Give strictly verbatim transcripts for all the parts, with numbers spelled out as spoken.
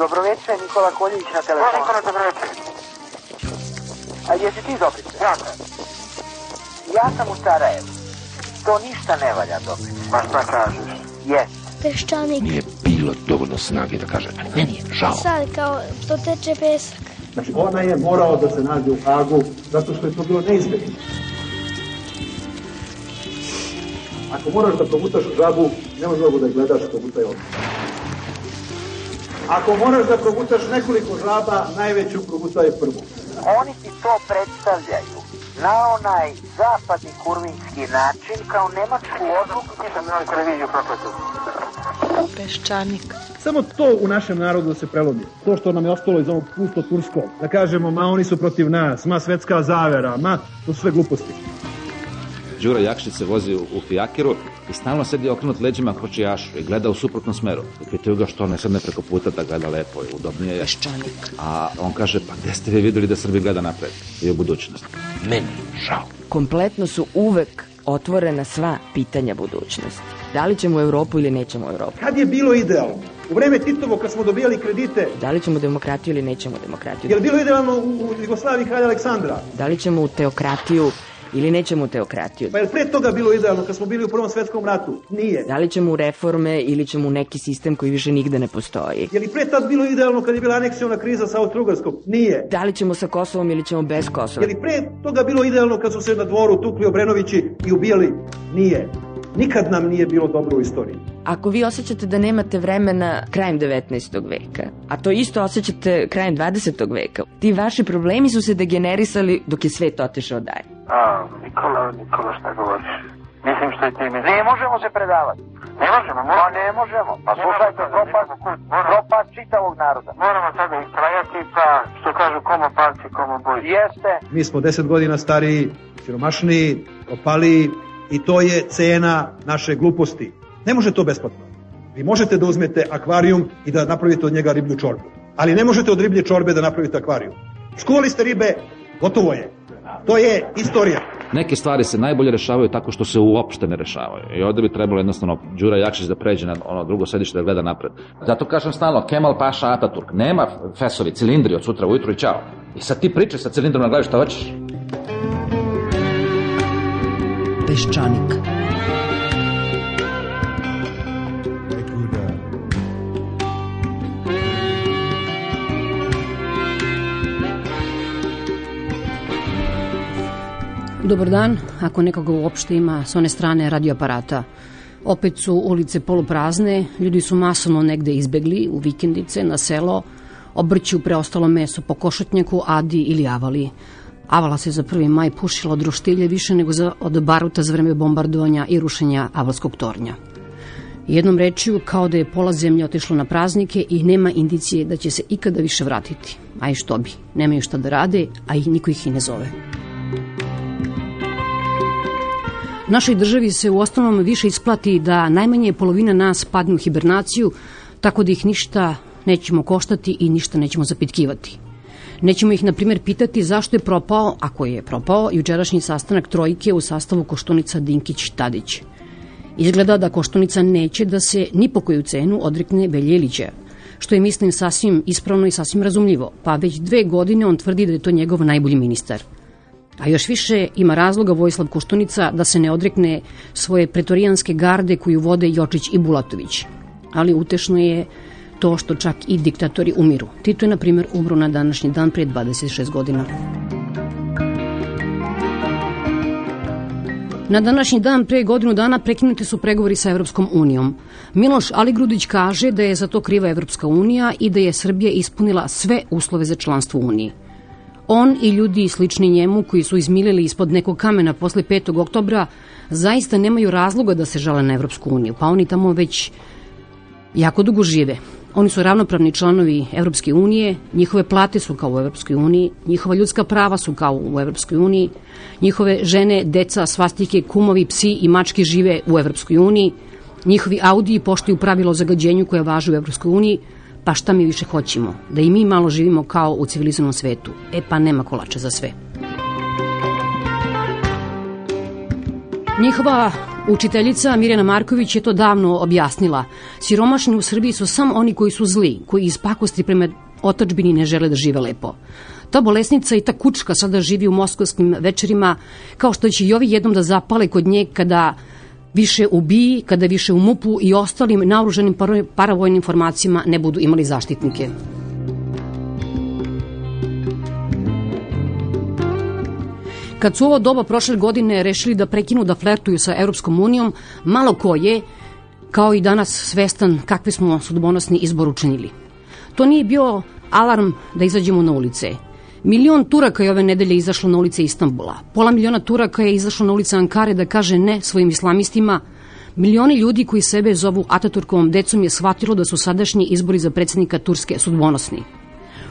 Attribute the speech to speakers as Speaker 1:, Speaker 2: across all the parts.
Speaker 1: Dobroveče, Nikola Koljević na telefonu.
Speaker 2: Nikola, dobroveče.
Speaker 1: A jesi ti Dobrice?
Speaker 2: Ja sam.
Speaker 1: Ja sam u Sarajevu. To ništa ne valja, Dobrice.
Speaker 2: Pa šta kažeš?
Speaker 1: Jes.
Speaker 3: Peščanik.
Speaker 4: Nije bilo dovoljno snage da kaže, a meni je žao.
Speaker 3: Sad kao to teče pesak.
Speaker 5: Znači ona je morao da se nađe u Hagu zato što je to bilo neizbježno. Ako moraš da progutaš žabu, nema mnogo da je gledaš, progutaj odmah. Ako moraš da progutaš nekoliko žaba, najveću progutaj prvu.
Speaker 1: Oni ti to predstavljaju na onaj zapadni kurvinski način kao nemačku odluku.
Speaker 2: Nisam na televiziju propratio.
Speaker 3: Peščanik.
Speaker 5: Samo to u našem narodu da se prelomi. To što nam je ostalo iz ovog pusto turskog. Da kažemo, ma oni su protiv nas, ma svetska zavera, ma to su sve gluposti.
Speaker 6: Đura Jakšić se vozi u fijakiru i stalno sedi okrenut leđima kočijašu i gleda u suprotnom smeru. Pitaju ga što ne sedne preko puta da gleda lepo i udobnije je.
Speaker 3: Peščanik.
Speaker 6: A on kaže, pa gde ste vi videli da Srbi gleda napred i u budućnost?
Speaker 4: Meni žao.
Speaker 7: Kompletno su uvek otvorena sva pitanja budućnosti. Da li ćemo u Evropu ili nećemo u Evropu?
Speaker 5: Kad je bilo idealno? U vreme Titovo kad smo dobijali kredite.
Speaker 7: Da li ćemo demokratiju ili nećemo demokratiju?
Speaker 5: Je li bilo idealno u Jugoslaviji kralja Aleksandra?
Speaker 7: Da li ćemo u teokratiju ili nećemo u teokratiju?
Speaker 5: Pa je li pre toga bilo idealno kad smo bili u Prvom svetskom ratu? Nije.
Speaker 7: Da li ćemo u reforme ili ćemo u neki sistem koji više nigde ne postoji?
Speaker 5: Je li pre tad bilo idealno kad je bila aneksiona kriza sa Austro-Ugarskom? Nije.
Speaker 7: Da li ćemo sa Kosovom ili ćemo bez Kosova?
Speaker 5: Je li pre toga bilo idealno kad su se na dvoru tukli Obrenovići i ubijali? Nije. Nikad nam nije bilo dobro u istoriji.
Speaker 7: Ako vi osjećate da nemate vremena krajem devetnaestog veka, a to isto osjećate krajem dvadesetog veka, ti vaši problemi su se degenerisali dok je svet otišao dalje.
Speaker 2: A, Nikola, Nikola, šta govoriš? Mislim što je ti mi...
Speaker 1: Ne možemo se predavati.
Speaker 2: Ne možemo,
Speaker 1: Pa
Speaker 2: možemo.
Speaker 1: ne možemo. Pa slušajte, propast, propast čitavog naroda.
Speaker 2: Moramo sada istrajati, pa što kažu komo palci, komo boj.
Speaker 1: Jeste.
Speaker 5: Mi smo deset godina stariji, siromašniji, propaliji i to je cena naše gluposti. Ne može to besplatno. Vi možete da uzmete akvarijum i da napravite od njega riblju čorbu. Ali ne možete od riblje čorbe da napravite akvarijum. Skuvali ste ribe, gotovo je. To je istorija.
Speaker 6: Neke stvari se najbolje rešavaju tako što se uopšte ne rešavaju. I ovde bi trebalo jednostavno Đura Jakšić da pređe na ono drugo sedište da gleda napred. Zato kažem stalno, Kemal Paša Ataturk. Nema fesovi, cilindri od sutra ujutru i čao. I sad ti pričaš sa cilindrom na glavi šta hoćeš.
Speaker 8: Peščanik. Dobar dan, ako nekoga uopšte ima s one strane radioaparata. Opet su ulice poluprazne, ljudi su masovno negde izbegli u vikendice, na selo, obrću preostalo meso po košutnjaku, adi ili avali. Avala se za prvi maj pušila od roštilje više nego za, od baruta za vreme bombardovanja i rušenja avalskog tornja. Jednom rečju, kao da je pola zemlje otišlo na praznike i nema indicije da će se ikada više vratiti. A i što bi, nemaju šta da rade, a i niko ih i ne zove. Našoj državi se u osnovnom više isplati da najmanje polovina nas padne u hibernaciju, tako da ih ništa nećemo koštati i ništa nećemo zapitkivati. Nećemo ih, na primjer, pitati zašto je propao, ako je propao, jučerašnji sastanak trojke u sastavu Koštunica, Dinkić, Tadić. Izgleda da Koštunica neće da se ni po koju cenu odrekne Veljelića, što je, mislim, sasvim ispravno i sasvim razumljivo, pa već dve godine on tvrdi da je to njegov najbolji ministar. A još više ima razloga Vojislav Koštunica da se ne odrekne svoje pretorijanske garde koju vode Jočić i Bulatović. Ali utešno je to što čak i diktatori umiru. Tito je, na primjer, umro na današnji dan prije dvadeset šest godina. Na današnji dan pre godinu dana prekinuti su pregovori sa Evropskom unijom. Miloš Aligrudić kaže da je za to kriva Evropska unija i da je Srbija ispunila sve uslove za članstvo u Uniji. On i ljudi slični njemu koji su izmilili ispod nekog kamena posle petog oktobra zaista nemaju razloga da se žale na Evropsku uniju, pa oni tamo već jako dugo žive. Oni su ravnopravni članovi Evropske unije, njihove plate su kao u Evropskoj uniji, njihova ljudska prava su kao u Evropskoj uniji, njihove žene, deca, svastike, kumovi, psi i mačke žive u Evropskoj uniji, njihovi Audiji poštuju pravilo o zagađenju koje važe u Evropskoj uniji, pa šta mi više hoćemo? Da i mi malo živimo kao u civilizovanom svetu. E pa nema kolača za sve. Njihova Učiteljica Mirjana Marković je to davno objasnila. Siromašni u Srbiji su samo oni koji su zli, koji iz pakosti prema otadžbini ne žele da žive lepo. Ta bolesnica i ta kučka sada živi u moskovskim večerima, kao što će i ovi jednom da zapale kod nje kada više u B I, kada više u M U P-u i ostalim naoružanim paravojnim formacijama ne budu imali zaštitnike. Kad su ovo doba prošle godine rešili da prekinu da flertuju sa Europskom unijom, malo ko je, kao i danas, svestan kakve smo sudbonosni izbor učinili. To nije bio alarm da izađemo na ulice. Milion Turaka je ove nedelje izašlo na ulice Istanbula. Pola miliona Turaka je izašlo na ulice Ankare da kaže ne svojim islamistima. Milioni ljudi koji sebe zovu Ataturkovom decom je shvatilo da su sadašnji izbori za predsjednika Turske sudbonosni.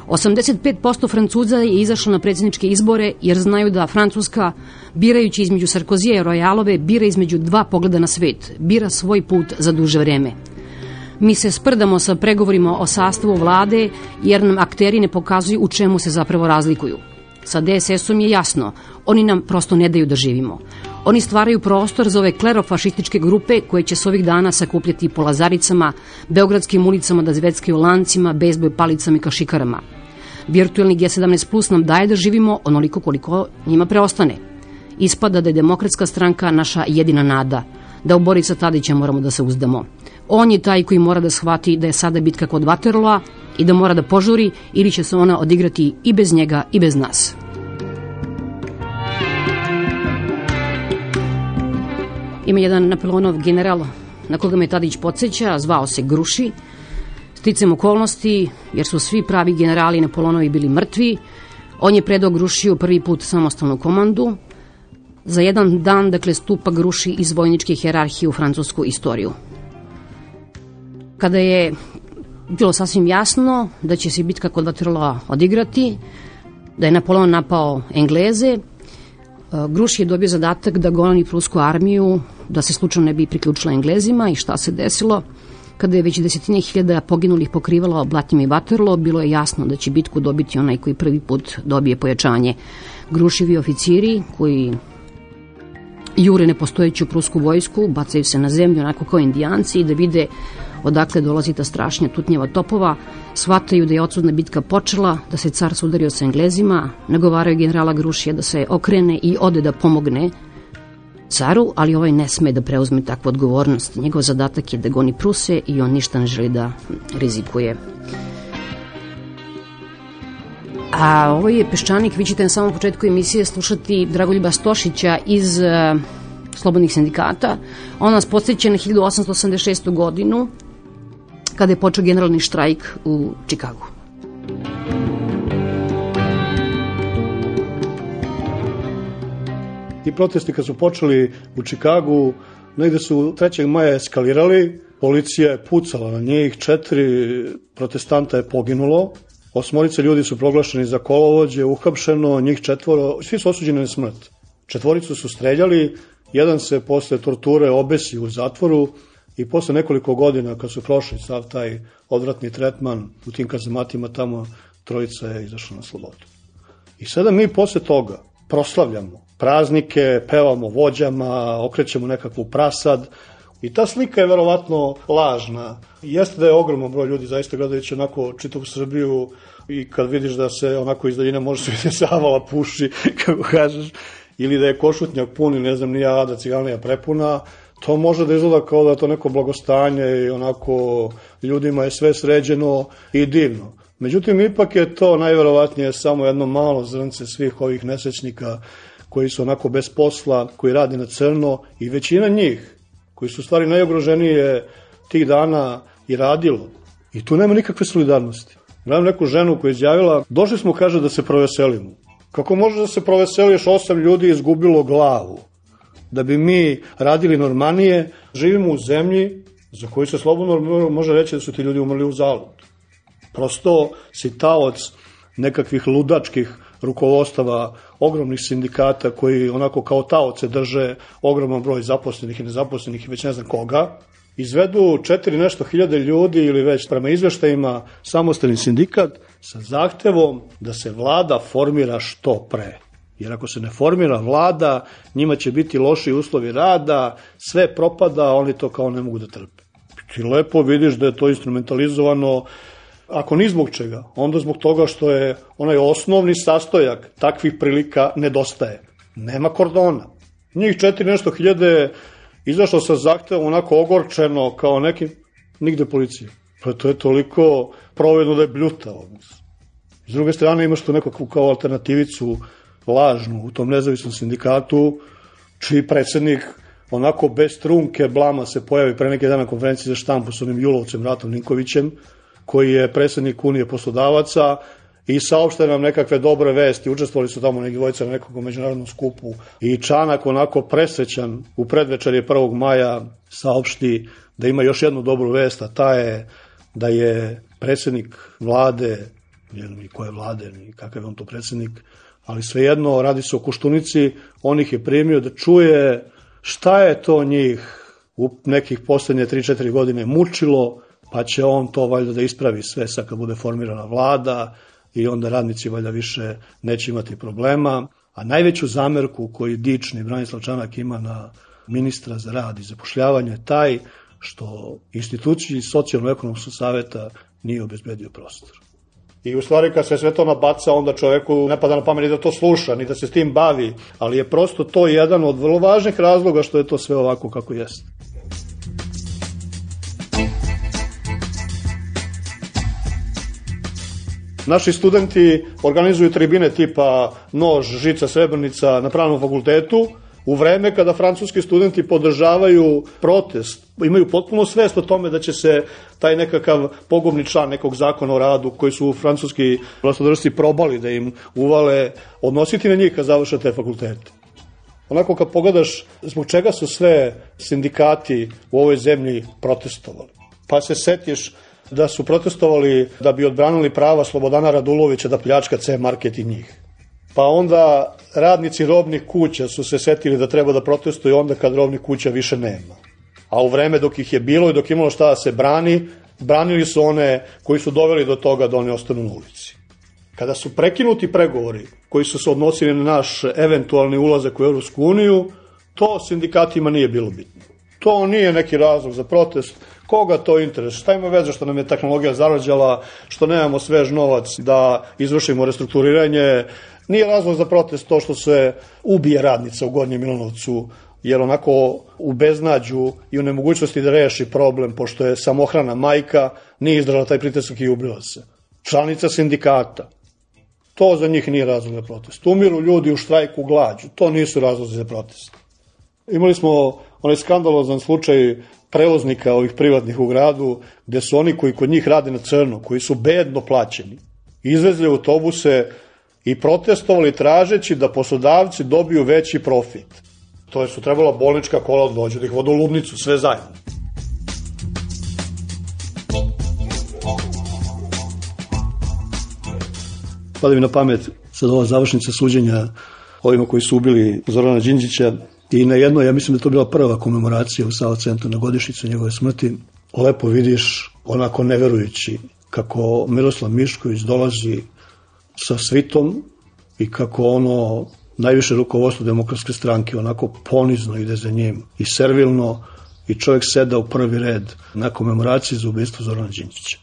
Speaker 8: osamdeset pet posto Francuza je izašlo na predsjedničke izbore jer znaju da Francuska, birajući između Sarkozija i Royalove, bira između dva pogleda na svet, bira svoj put za duže vreme. Mi se sprdamo sa pregovorima o sastavu vlade jer nam akteri ne pokazuju u čemu se zapravo razlikuju. Sa D S S-om je jasno, oni nam prosto ne daju da živimo. Oni stvaraju prostor za ove klerofašističke grupe koje će se ovih dana sakupljati po Lazaricama, beogradskim ulicama da zveckaju lancima, bejzbol palicama i kašikarama. Virtualni G sedamnaest plus nam daje da živimo onoliko koliko njima preostane. Ispada da je Demokratska stranka naša jedina nada, da u Borisa Tadića moramo da se uzdamo. On je taj koji mora da shvati da je sada bitka kod Waterlooa i da mora da požuri ili će se ona odigrati i bez njega i bez nas. Ima jedan Napoleonov general na koga me Tadić podsjeća, zvao se Gruši. Sticam okolnosti, jer su svi pravi generali Napoleonovi bili mrtvi, on je predao Grušiju prvi put samostalnu komandu. Za jedan dan, dakle, stupa Gruši iz vojničke hijerarhije u francusku istoriju. Kada je bilo sasvim jasno da će se bitka kod Waterlooa odigrati, da je Napoleon napao Engleze, Gruši je dobio zadatak da goni prusku armiju, da se slučajno ne bi priključila Englezima. I šta se desilo? Kada je već desetine hiljada poginulih pokrivalo Blatim i Waterloo, bilo je jasno da će bitku dobiti onaj koji prvi put dobije pojačanje. Grušivi oficiri koji jure nepostojeću prusku vojsku, bacaju se na zemlju onako kao indijanci i da vide odakle dolazi ta strašnja tutnjeva topova, shvataju da je odsudna bitka počela, da se car sudario sa Englezima, nagovaraju generala Grušija da se okrene i ode da pomogne caru, ali ovaj ne sme da preuzme takvu odgovornost. Njegov zadatak je da goni Pruse i on ništa ne želi da rizikuje. A ovo je Peščanik, vi ćete na samom početku emisije slušati Dragoljuba Stošića iz uh, Slobodnih sindikata. On nas podsjeća na hiljadu osamsto osamdeset šestu godinu, kada je počeo generalni štrajk u Čikagu.
Speaker 9: Ti protesti kad su počeli u Čikagu, negde su trećeg maja eskalirali, policija je pucala na njih, četiri protestanta je poginulo, osmorice ljudi su proglašeni za kolovođe, uhapšeno, njih četvoro, svi su osuđeni na smrt. Četvoricu su streljali, jedan se posle torture obesi u zatvoru i posle nekoliko godina kad su prošli sav taj odvratni tretman u tim kazamatima tamo, trojica je izašla na slobodu. I sada mi posle toga proslavljamo praznike, pevamo vođama, okrećemo nekakvu prasad i ta slika je verovatno lažna. Jeste da je ogroman broj ljudi zaista gledajući onako čitavu Srbiju i kad vidiš da se onako iz daljine može se vidjeti Savala puši, kako kažeš, ili da je Košutnjak pun i ne znam ni ja, da Ciganlija prepuna, to može da izgleda kao da je to neko blagostanje i onako ljudima je sve sređeno i divno. Međutim, ipak je to najverovatnije samo jedno malo zrnce svih ovih nesrećnika koji su onako bez posla, koji radi na crno i većina njih, koji su stvari najugroženije tih dana i radilo. I tu nema nikakve solidarnosti. Gledam neku ženu koja je izjavila, došli smo, kaže, da se proveselimo. Kako može da se proveseliš, osam ljudi izgubilo glavu? Da bi mi radili normalnije, živimo u zemlji za koju se slobodno može reći da su ti ljudi umrli u zalud. Prosto si taoc nekakvih ludačkih rukovodstava, ogromnih sindikata koji onako kao taoce drže ogroman broj zaposlenih i nezaposlenih i već ne znam koga, izvedu četiri nešto hiljade ljudi ili već prema izveštajima samostalni sindikat sa zahtevom da se vlada formira što pre. Jer ako se ne formira vlada, njima će biti loši uslovi rada, sve propada, oni to kao ne mogu da trpe. Ti lepo vidiš da je to instrumentalizovano, ako ni zbog čega, onda zbog toga što je onaj osnovni sastojak takvih prilika nedostaje. Nema kordona. Njih četiri nešto hiljade izašlo sa zahtevom onako ogorčeno kao neki, nigde policije. Pa to je toliko provedno da je bljuta odnos. S druge strane imaš tu nekakvu kao alternativicu lažnu u tom nezavisnom sindikatu, čiji predsednik onako bez trunke blama se pojavi pre neke dana na konferenciji za štampu s onim Julovcem, Ratom Ninkovićem, koji je predsednik Unije poslodavaca i saopšte nam nekakve dobre vesti. Učestvovali su tamo neki dvojica na nekog međunarodnom skupu i Čanak onako presrećan u predvečerje prvog maja saopšti da ima još jednu dobru vest, a ta je da je predsednik vlade, ne znam ni koje vlade, ni kakav je on to predsednik, ali svejedno radi se o Koštunici, on ih je primio da čuje šta je to njih u nekih poslednje tri četiri godine mučilo, pa će on to valjda da ispravi sve sad kad bude formirana vlada i onda radnici valjda više neće imati problema. A najveću zamerku koju dični Branislav Čanak ima na ministra za rad i zapošljavanje je taj što instituciji socijalno-ekonomskog saveta nije obezbedio prostor. I u stvari kad se sve to nabaca, onda čoveku ne pada na pamet ni da to sluša, ni da se s tim bavi, ali je prosto to jedan od vrlo važnih razloga što je to sve ovako kako jeste. Naši studenti organizuju tribine tipa Nož, Žica, Srebrenica na Pravnom fakultetu, u vreme kada francuski studenti podržavaju protest, imaju potpuno svest o tome da će se taj nekakav pogubni član nekog zakona o radu koji su francuski vlastodržci probali da im uvale, odnositi na njih kad završe te fakultete. Onako kad pogledaš zbog čega su sve sindikati u ovoj zemlji protestovali, pa se setiš da su protestovali da bi odbranili prava Slobodana Radulovića da pljačka C-market i njih. Pa onda radnici robnih kuća su se setili da treba da protestuju onda kad robnih kuća više nema. A u vreme dok ih je bilo i dok imalo šta da se brani, branili su one koji su doveli do toga da oni ostanu na ulici. Kada su prekinuti pregovori koji su se odnosili na naš eventualni ulazak u Evropsku uniju, to sindikatima nije bilo bitno. To nije neki razlog za protest. Koga to interes? Šta ima veze što nam je tehnologija zarađala, što nemamo svež novac da izvršimo restrukturiranje? Nije razlog za protest to što se ubije radnica u Gornjem Milanovcu, jer onako u beznađu i u nemogućnosti da reši problem, pošto je samohrana majka, nije izdržala taj pritisak i ubila se. Članica sindikata. To za njih nije razlog za protest. Umiru ljudi u štrajku glađu. To nisu razlozi za protest. Imali smo onaj skandalozan slučaj prevoznika ovih privatnih u gradu, gde su oni koji kod njih rade na crno, koji su bedno plaćeni, izvezli autobuse i protestovali tražeći da poslodavci dobiju veći profit. To je su trebala bolnička kola od dođe, da ih vodu u ludnicu, sve zajedno. Pada mi na pamet sad ova završnica suđenja ovima koji su ubili Zorana Đinđića i na jedno, ja mislim da to bila prva komemoracija u Sava centru na godišnjicu njegove smrti. Lepo vidiš, onako neverujući, kako Miroslav Mišković dolazi sa svitom i kako ono najviše rukovodstvo Demokratske stranke onako ponizno ide za njim i servilno i čovjek seda u prvi red na komemoraciji za ubistvo Zorana Đinđića.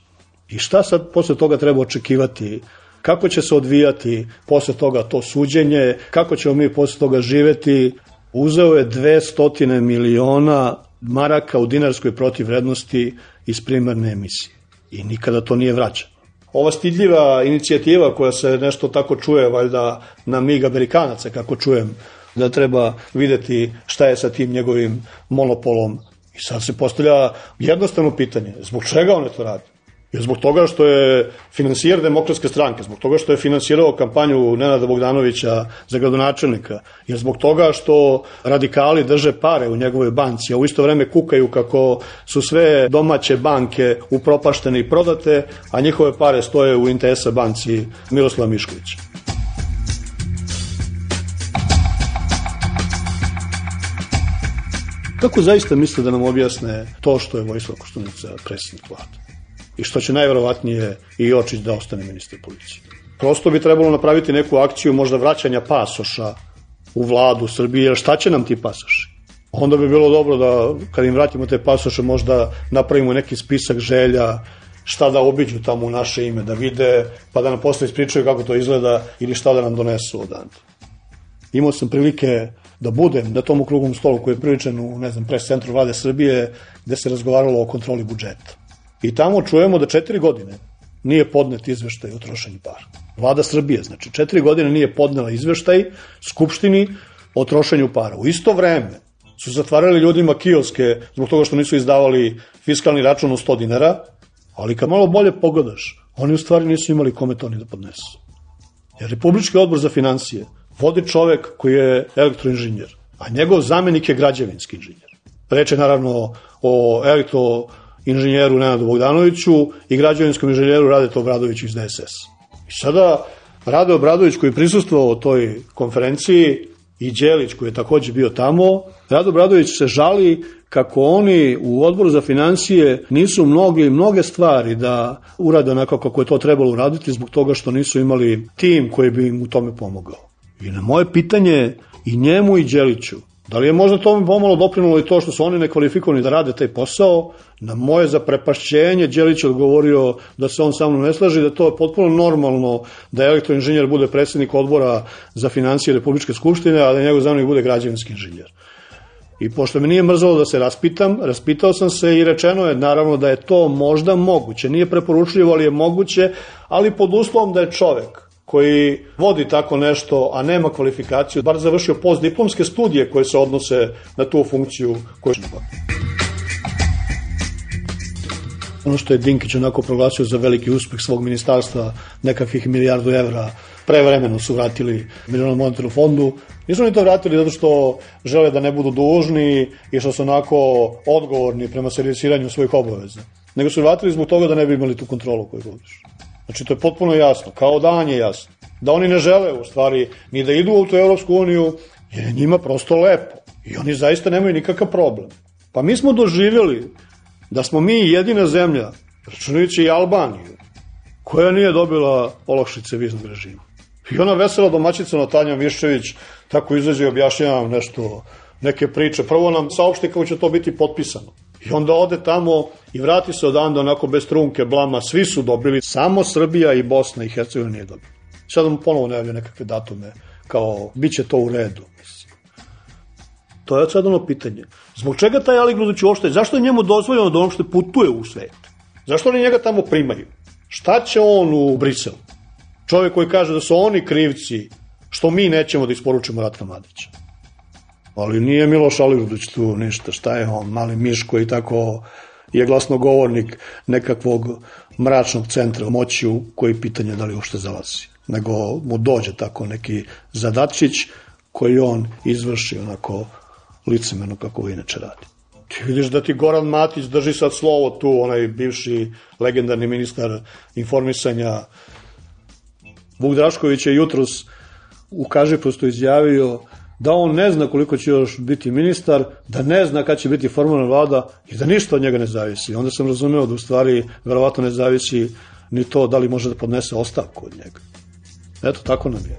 Speaker 9: I šta sad posle toga treba očekivati? Kako će se odvijati posle toga to suđenje? Kako ćemo mi posle toga živeti? Uzeo je dvesta miliona maraka u dinarskoj protivvrednosti iz primarne emisije. I nikada to nije vraćano. Ova stidljiva inicijativa koja se nešto tako čuje, valjda na mig Amerikanaca, kako čujem, da treba videti šta je sa tim njegovim monopolom. I sad se postavlja jednostavno pitanje, zbog čega on to radi? Jer zbog toga što je finansijer Demokratske stranke, zbog toga što je finansirao kampanju Nenada Bogdanovića za gradonačelnika, jer zbog toga što radikali drže pare u njegovoj banci, a u isto vreme kukaju kako su sve domaće banke upropaštene i prodate, a njihove pare stoje u Intesa banci Miroslava Miškovića. Kako zaista misle da nam objasne to što je Vojislav Koštunica predsjednik vlade? I što će najverovatnije i Jočić da ostane ministar policije. Prosto bi trebalo napraviti neku akciju možda vraćanja pasoša u vladu Srbije, jer šta će nam ti pasoši? Onda bi bilo dobro da kad im vratimo te pasoše možda napravimo neki spisak želja, šta da obiđu tamo u naše ime, da vide, pa da nam posle ispričaju kako to izgleda ili šta da nam donesu odande. Imao sam prilike da budem na tom okruglom stolu koji je priličan u, ne znam, pres centru vlade Srbije, gde se razgovaralo o kontroli budžeta. I tamo čujemo da četiri godine nije podnet izveštaj o trošenju para. Vlada Srbije, znači, četiri godine nije podnela izveštaj Skupštini o trošenju para. U isto vreme su zatvarali ljudima kioske zbog toga što nisu izdavali fiskalni račun od sto dinara, ali kad malo bolje pogledaš, oni u stvari nisu imali kome to ni da podnesu. Jer Republički odbor za finansije vodi čovek koji je elektroinženjer, a njegov zamenik je građevinski inženjer. Reč je naravno o elektroinženjeru Nenadu Bogdanoviću i građevinskom inženjeru Radetu Obradoviću iz D S S. I sada Rade Obradović koji je prisustvovao toj konferenciji i Đelić koji je takođe bio tamo, Rade Obradović se žali kako oni u odboru za finansije nisu mogli mnoge stvari da urade onako kako je to trebalo uraditi zbog toga što nisu imali tim koji bi im u tome pomogao. I na moje pitanje i njemu i Đeliću, da li je možda tome pomalo doprinulo i to što su oni nekvalifikovani da rade taj posao, na moje zaprepašćenje Đelić je odgovorio da se on sa mnom ne slaže, da to je potpuno normalno da elektroinženjer bude predsjednik odbora za finansije Republičke skupštine, a da njegov zamenik bude građevinski inženjer. I pošto me nije mrzalo da se raspitam, raspitao sam se i rečeno je naravno da je to možda moguće. Nije preporučljivo, ali je moguće, ali pod uslovom da je čovek koji vodi tako nešto, a nema kvalifikaciju, bar završio postdiplomske studije koje se odnose na tu funkciju koju je nema. Ono što je Dinkić onako proglasio za veliki uspeh svog ministarstva, nekakvih milijardu evra, prevremeno su vratili Međunarodnom monetarnom fondu. Nisu oni to vratili zato što žele da ne budu dužni i što su onako odgovorni prema servisiranju svojih obaveza, nego su vratili zbog toga da ne bi imali tu kontrolu koju vodiš. Znači, to je potpuno jasno, kao dan je jasno. Da oni ne žele, u stvari, ni da idu u tu Evropsku uniju, jer je njima prosto lepo. I oni zaista nemaju nikakav problem. Pa mi smo doživjeli da smo mi jedina zemlja, računajući i Albaniju, koja nije dobila olakšice viznog režima. I ona vesela domaćica Natalija Miščević tako izađe i objašnjava nešto, neke priče. Prvo nam saopšti kako će to biti potpisano. I onda ode tamo i vrati se odande onako bez trunke, blama. Svi su dobili, samo Srbija i Bosna i Hercegovina nije dobila. Sada mu ponovo najavljaju nekakve datume, kao bit će to u redu. To je sad ono pitanje. Zbog čega taj Aligrudić uopšte, zašto je njemu dozvoljeno da uopšte putuje u svet? Zašto oni njega tamo primaju? Šta će on u Briselu? Čovjek koji kaže da su oni krivci što mi nećemo da isporučimo Ratka Mladića. Ali nije Miloš Aligrudić tu ništa. Šta je on? Mali miš koji tako je glasnogovornik nekakvog mračnog centra moći u koji pitanje da li uopšte zalazi. Nego mu dođe tako neki zadatčić koji on izvrši onako licemerno kako ga inače radi. Ti vidiš da ti Goran Matić drži sad slovo tu, onaj bivši legendarni ministar informisanja. Vuk Drašković je jutros u Kažiprostu izjavio da on ne zna koliko će još biti ministar, da ne zna kad će biti formalna vlada i da ništa od njega ne zavisi. Onda sam razumeo da u stvari verovatno ne zavisi ni to da li može da podnese ostavku od njega. Eto, tako nam je.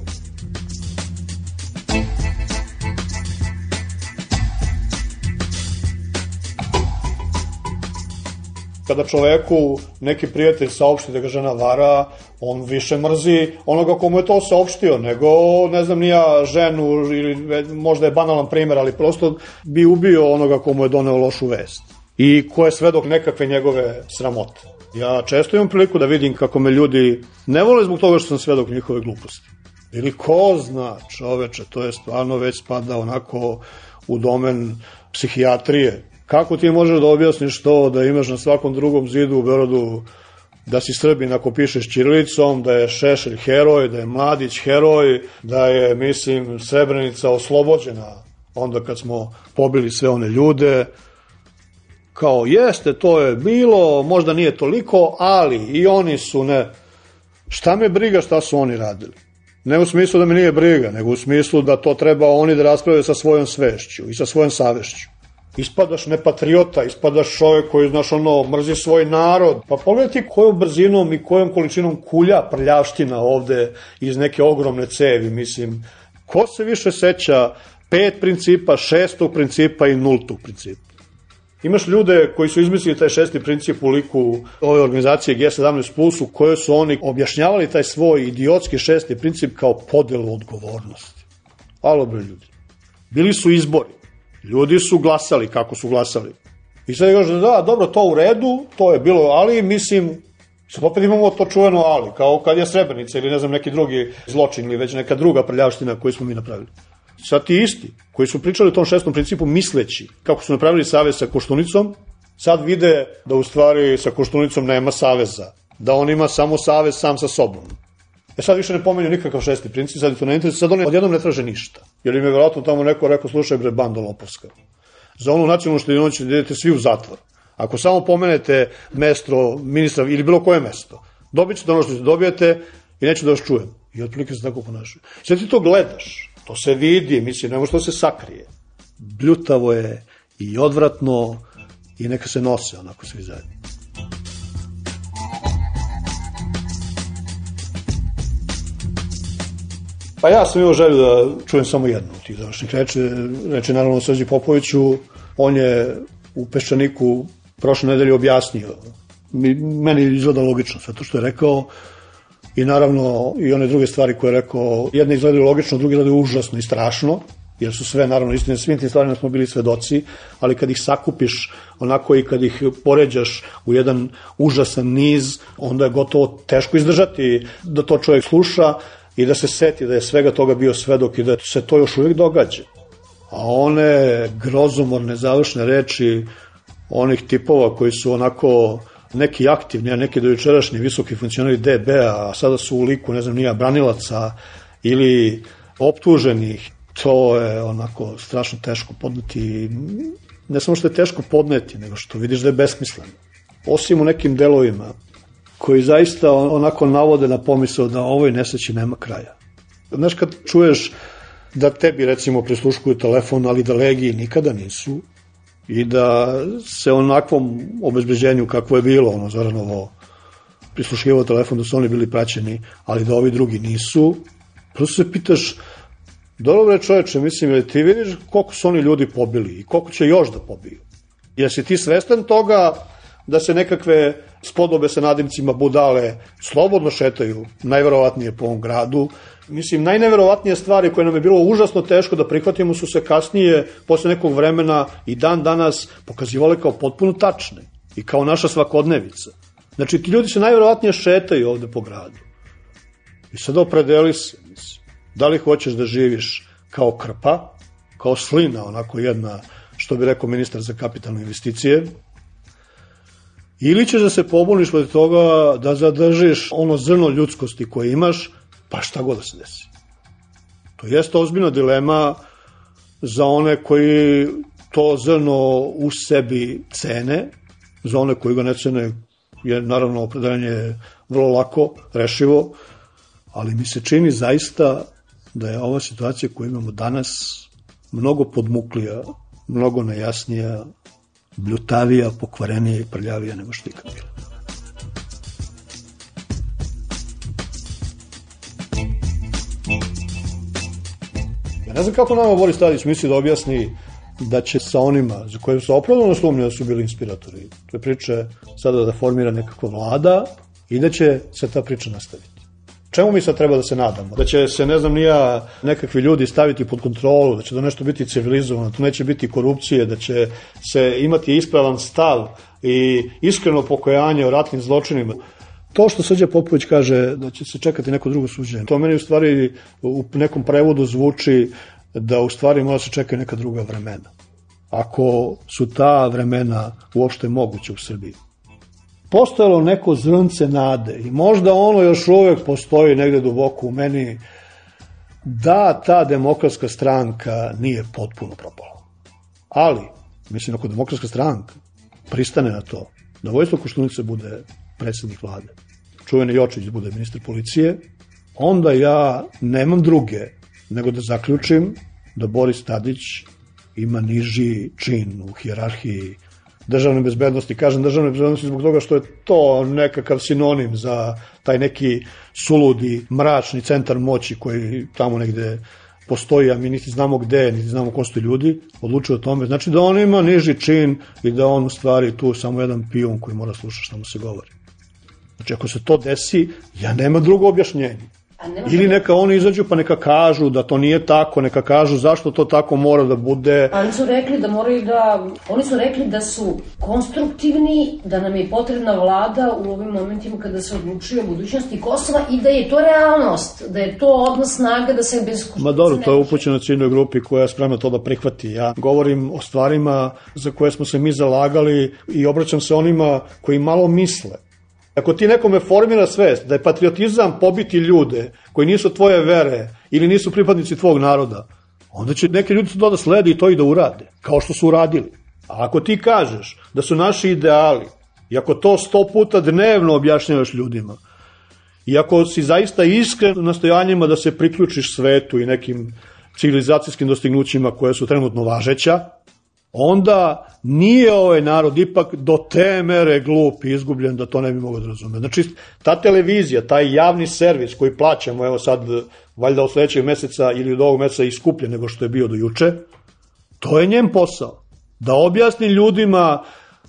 Speaker 9: Kada čoveku neki prijatelj saopšti da ga žena vara, on više mrzi onoga komu je to saopštio, nego, ne znam, nija ženu, ili možda je banalan primer, ali prosto bi ubio onoga komu je doneo lošu vest i ko je svedok nekakve njegove sramote. Ja često imam priliku da vidim kako me ljudi ne vole zbog toga što sam svedok njihove gluposti. Ili ko zna, čoveče, to je stvarno već spada onako u domen psihijatrije. Kako ti možeš da objasniš to da imaš na svakom drugom zidu u Beogradu da si Srbin ako pišeš ćirilicom, da je Šešelj heroj, da je Mladić heroj, da je, mislim, Srebrenica oslobođena onda kad smo pobili sve one ljude. Kao, jeste, to je bilo, možda nije toliko, ali i oni su, ne, šta me briga šta su oni radili? Ne u smislu da me nije briga, nego u smislu da to treba oni da raspravljaju sa svojom svešću i sa svojom savešću. Ispadaš nepatriota, ispadaš čovjek koji, znaš, ono, mrzi svoj narod. Pa pogledaj ti kojom brzinom i kojom količinom kulja prljavština ovde iz neke ogromne cevi, mislim. Ko se više seća pet principa, šestog principa i nultog principa? Imaš ljude koji su izmislili taj šesti princip u liku ove organizacije G sedamnaest plus, u kojoj su oni objašnjavali taj svoj idiotski šesti princip kao podelu odgovornosti. Alo bre ljudi. Bili su izbori. Ljudi su glasali kako su glasali. I sad je kažu, da, dobro, to u redu, to je bilo, ali mislim, sad opet imamo to čuveno ali, kao kad je Srebrenica ili ne znam neki drugi zločin ili već neka druga prljavština koju smo mi napravili. Sad ti isti, koji su pričali o tom šestom principu misleći kako su napravili savez sa Koštunicom, sad vide da u stvari sa Koštunicom nema saveza, da on ima samo savez sam sa sobom. E sad više ne pomenju nikakav šesti princip, sad je to ne interesuje, sad oni odjednom ne traže ništa. Jer im je vjerojatno tamo neko rekao, slušaj bre, bando lopovska. Za onu nacionalnu štedionicu ćete idete svi u zatvor. Ako samo pomenete mesto ministra ili bilo koje mesto, dobit ćete ono što ćete dobijete i neću da vas čujem. I otprilike se tako ponašaju. Sad ti to gledaš, to se vidi, mislim, ne može to se sakrije. Bljutavo je i odvratno i neka se nose onako svi zajedno. Pa ja sam imao želju da čujem samo jednu od tih završnih reči, reči naravno Srđi Popoviću. On je u Peščaniku prošle nedelje objasnio. Meni izgleda logično sve to što je rekao i naravno i one druge stvari koje je rekao. Jedne izgledaju logično, druge izgledaju užasno i strašno, jer su sve naravno istine, svim tim stvarima smo bili svedoci, ali kad ih sakupiš onako i kad ih poređaš u jedan užasan niz, onda je gotovo teško izdržati da to čovjek sluša i da se seti da je svega toga bio svedok i da se to još uvijek događa. A one grozomorne završne reči onih tipova koji su onako neki aktivni, a neki dojučerašnji visoki funkcioneri D B-a, a sada su u liku, ne znam, nija branilaca ili optuženih, to je onako strašno teško podneti. Ne samo što je teško podneti, nego što vidiš da je besmisleno. Osim u nekim delovima koji zaista onako navode na pomisao da ovoj nesreći nema kraja. Znaš, kad čuješ da tebi recimo prisluškuju telefon, ali da legiji nikada nisu i da se onakvom obezbeđenju kakvo je bilo, ono Zoranovo prisluškivao telefon, da su oni bili praćeni, ali da ovi drugi nisu, prosto se pitaš, dobro je čoveče, mislim, jer ti vidiš koliko su oni ljudi pobili i koliko će još da pobiju. Jesi ti svestan toga da se nekakve spodobe sa nadimcima budale slobodno šetaju, najverovatnije po ovom gradu. Mislim, najneverovatnije stvari koje nam je bilo užasno teško da prihvatimo su se kasnije, posle nekog vremena i dan danas pokazivale kao potpuno tačne i kao naša svakodnevica. Znači, ti ljudi se najverovatnije šetaju ovde po gradu. I sada opredeli se, mislim, da li hoćeš da živiš kao krpa, kao slina, onako jedna, što bi rekao ministar za kapitalne investicije, ili ćeš da se pobuniš od toga da zadržiš ono zrno ljudskosti koje imaš, pa šta god da se desi. To jeste ozbiljna dilema za one koji to zrno u sebi cene, za one koji ga ne cene je naravno opredeljenje vrlo lako rešivo, ali mi se čini zaista da je ova situacija koju imamo danas mnogo podmuklija, mnogo nejasnija, bljutavija, pokvarenija i prljavija nego što ikad bila. Ja ne znam kako nama Boris Tadić misli da objasni da će sa onima za koje su opravdano sumnje da su bili inspiratori te priče sada da formira nekakva vlada i da će se ta priča nastaviti. Čemu mi sad treba da se nadamo? Da će se, ne znam, nija nekakvi ljudi staviti pod kontrolu, da će to nešto biti civilizovano, to neće biti korupcije, da će se imati ispravan stav i iskreno pokajanje o ratnim zločinima. To što Srđa Popović kaže da će se čekati neko drugo suđenje, to meni u stvari u nekom prevodu zvuči da u stvari mora se čekati neka druga vremena. Ako su ta vremena uopšte moguće u Srbiji. Postojalo neko zrnce nade i možda ono još uvek postoji negde duboko u meni da ta demokratska stranka nije potpuno propala. Ali, mislim, ako demokratska stranka pristane na to da Vojislav Koštunica bude predsjednik vlade, čuveni Jočić bude ministar policije, onda ja nemam druge nego da zaključim da Boris Tadić ima niži čin u hijerarhiji državne bezbednosti. Kažem državne bezbednosti zbog toga što je to nekakav sinonim za taj neki suludi, mračni centar moći koji tamo negde postoji, a mi niti znamo gde, niti znamo ko su ti ljudi, odlučuju o tome. Znači da on ima niži čin i da on u stvari tu samo jedan pijun koji mora slušati šta mu se govori. Znači ako se to desi, ja nema drugo objašnjenje. Ili neka oni izađu pa neka kažu da to nije tako, neka kažu zašto to tako mora da bude.
Speaker 8: Ali su rekli da moraju da, oni su rekli da su konstruktivni, da nam je potrebna vlada u ovim momentima kada se odlučuje o budućnosti Kosova i da je to realnost, da je to odnos snaga da se bez Koštunica.
Speaker 9: Ma dobro, to je upućeno ciljnoj grupi koja je spremna to da prihvati. Ja govorim o stvarima za koje smo se mi zalagali i obraćam se onima koji malo misle. Ako ti nekome formira svest da je patriotizam pobiti ljude koji nisu tvoje vere ili nisu pripadnici tvog naroda, onda će neki ljudi to da slede i to i da urade, kao što su uradili. A ako ti kažeš da su naši ideali, i ako to sto puta dnevno objašnjavaš ljudima, i ako si zaista iskren u nastojanjima da se priključiš svetu i nekim civilizacijskim dostignućima koje su trenutno važeća, onda nije ovaj narod ipak do te mere glup i izgubljen da to ne bi mogao da razume. Znači, ta televizija, taj javni servis koji plaćamo, evo sad, valjda od sledećeg meseca ili od ovog meseca iskuplje nego što je bio do juče, to je njen posao. Da objasni ljudima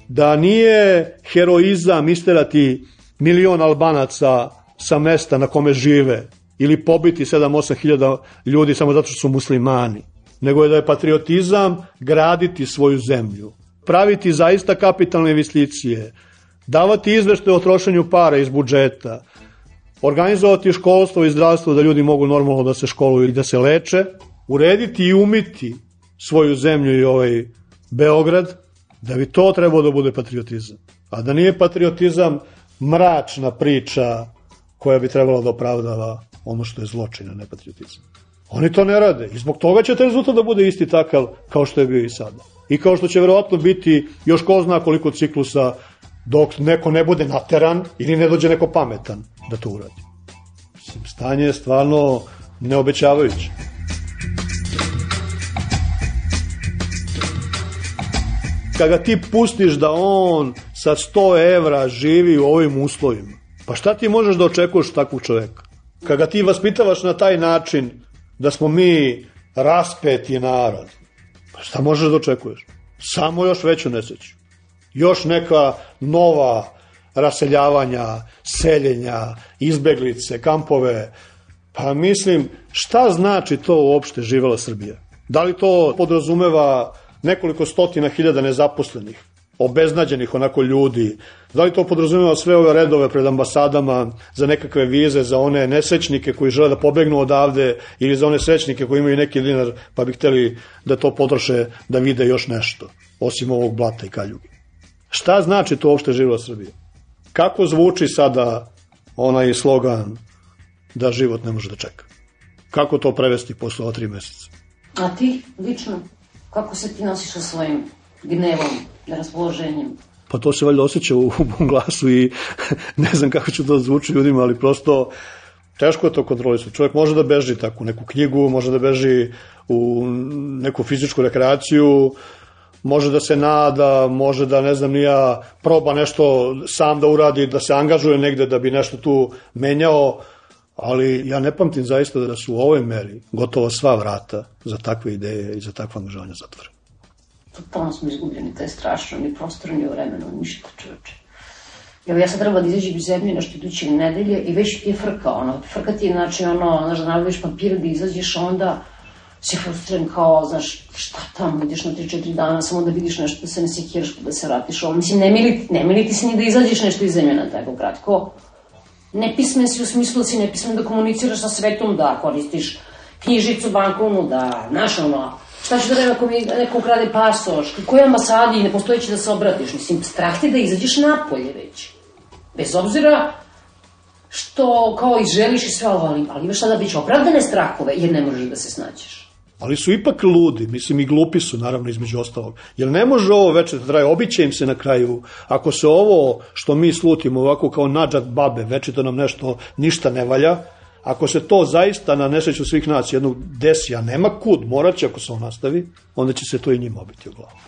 Speaker 9: da nije heroizam isterati milion Albanaca sa mesta na kome žive ili pobiti sedam osam hiljada ljudi samo zato što su muslimani, nego je da je patriotizam graditi svoju zemlju, praviti zaista kapitalne investicije, davati izveštaje o trošenju para iz budžeta, organizovati školstvo i zdravstvo da ljudi mogu normalno da se školuju i da se leče, urediti i umiti svoju zemlju i ovaj Beograd, da bi to trebalo da bude patriotizam. A da nije patriotizam mračna priča koja bi trebala da opravdava ono što je zločin, a ne patriotizam. Oni to ne rade i zbog toga će taj rezultat da bude isti takav kao što je bio i sada. I kao što će verovatno biti još ko zna koliko ciklusa dok neko ne bude nateran ili ne dođe neko pametan da to uradi. Mislim, stanje je stvarno neobećavajuće. Kada ti pustiš da on sa sto evra živi u ovim uslovima, pa šta ti možeš da očekuješ takvog čoveka? Kada ti vaspitavaš na taj način da smo mi raspeti narod, pa šta možeš da očekuješ? Samo još veću nesreću. Još neka nova raseljavanja, seljenja, izbeglice, kampove. Pa mislim, šta znači to uopšte živela Srbija? Da li to podrazumeva nekoliko stotina hiljada nezaposlenih, obeznađenih onako ljudi? Da li to podrazumeva sve ove redove pred ambasadama za nekakve vize, za one nesrećnike koji žele da pobegnu odavde ili za one srećnike koji imaju neki dinar pa bi hteli da to potroše da vide još nešto, osim ovog blata i kaljuge? Šta znači to uopšte živela Srbija? Kako zvuči sada onaj slogan da život ne može da čeka? Kako to prevesti posle ova tri meseca?
Speaker 8: A ti, lično, kako se ti nosiš sa svojim gnevom, raspoloženjem?
Speaker 9: Pa to se valjda osjeća u, u glasu i ne znam kako će to zvuči ljudima, ali prosto teško je to kontrolisati. Čovjek može da beži tako u neku knjigu, može da beži u neku fizičku rekreaciju, može da se nada, može da, ne znam, nija proba nešto sam da uradi, da se angažuje negde da bi nešto tu menjao, ali ja ne pamtim zaista da su u ovoj meri gotovo sva vrata za takve ideje i za takve angažovanja zatvorene.
Speaker 8: Totalno smo izgubljeni, to je strašno, ni prostor, ni vremena, ništa, čoveče. Evo, ja sad treba da izađem iz zemlje nešto iduće nedelje i već ti je frka, ono, frka ti je, znači, ono, znaš, da nabaviš papir da izađeš, a onda si frustriran kao, znaš, šta tamo, ideš na tri četiri dana, samo da vidiš nešto, da se ne sekiraš, da se vratiš, ovo, mislim, ne mili, ne mili ti se ni da izađeš nešto iz zemlje na tako kratko. Nepismen si u smislu da si nepismen da komuniciraš sa svetom, da koristiš knjižicu bankovnu, da, znaš, ono, šta ću da reći ako mi neko ukrade pasoš, koji ambasadi ne postojeći da se obratiš, mislim, strah ti da izađeš napolje već. Bez obzira što kao i želiš i sve, ali, ali imaš sada već opravdane strahove, jer ne možeš da se snađeš.
Speaker 9: Ali su ipak ludi, mislim i glupi su naravno između ostalog. Jer ne može ovo večer da traje, obiće im se na kraju, ako se ovo što mi slutimo ovako kao nadžad babe, večito nam nešto ništa ne valja, Ako se to zaista na nesreću svih nas jednog desi, a nema kud, morat će ako se on nastavi, onda će se to i njima obiti u glavu.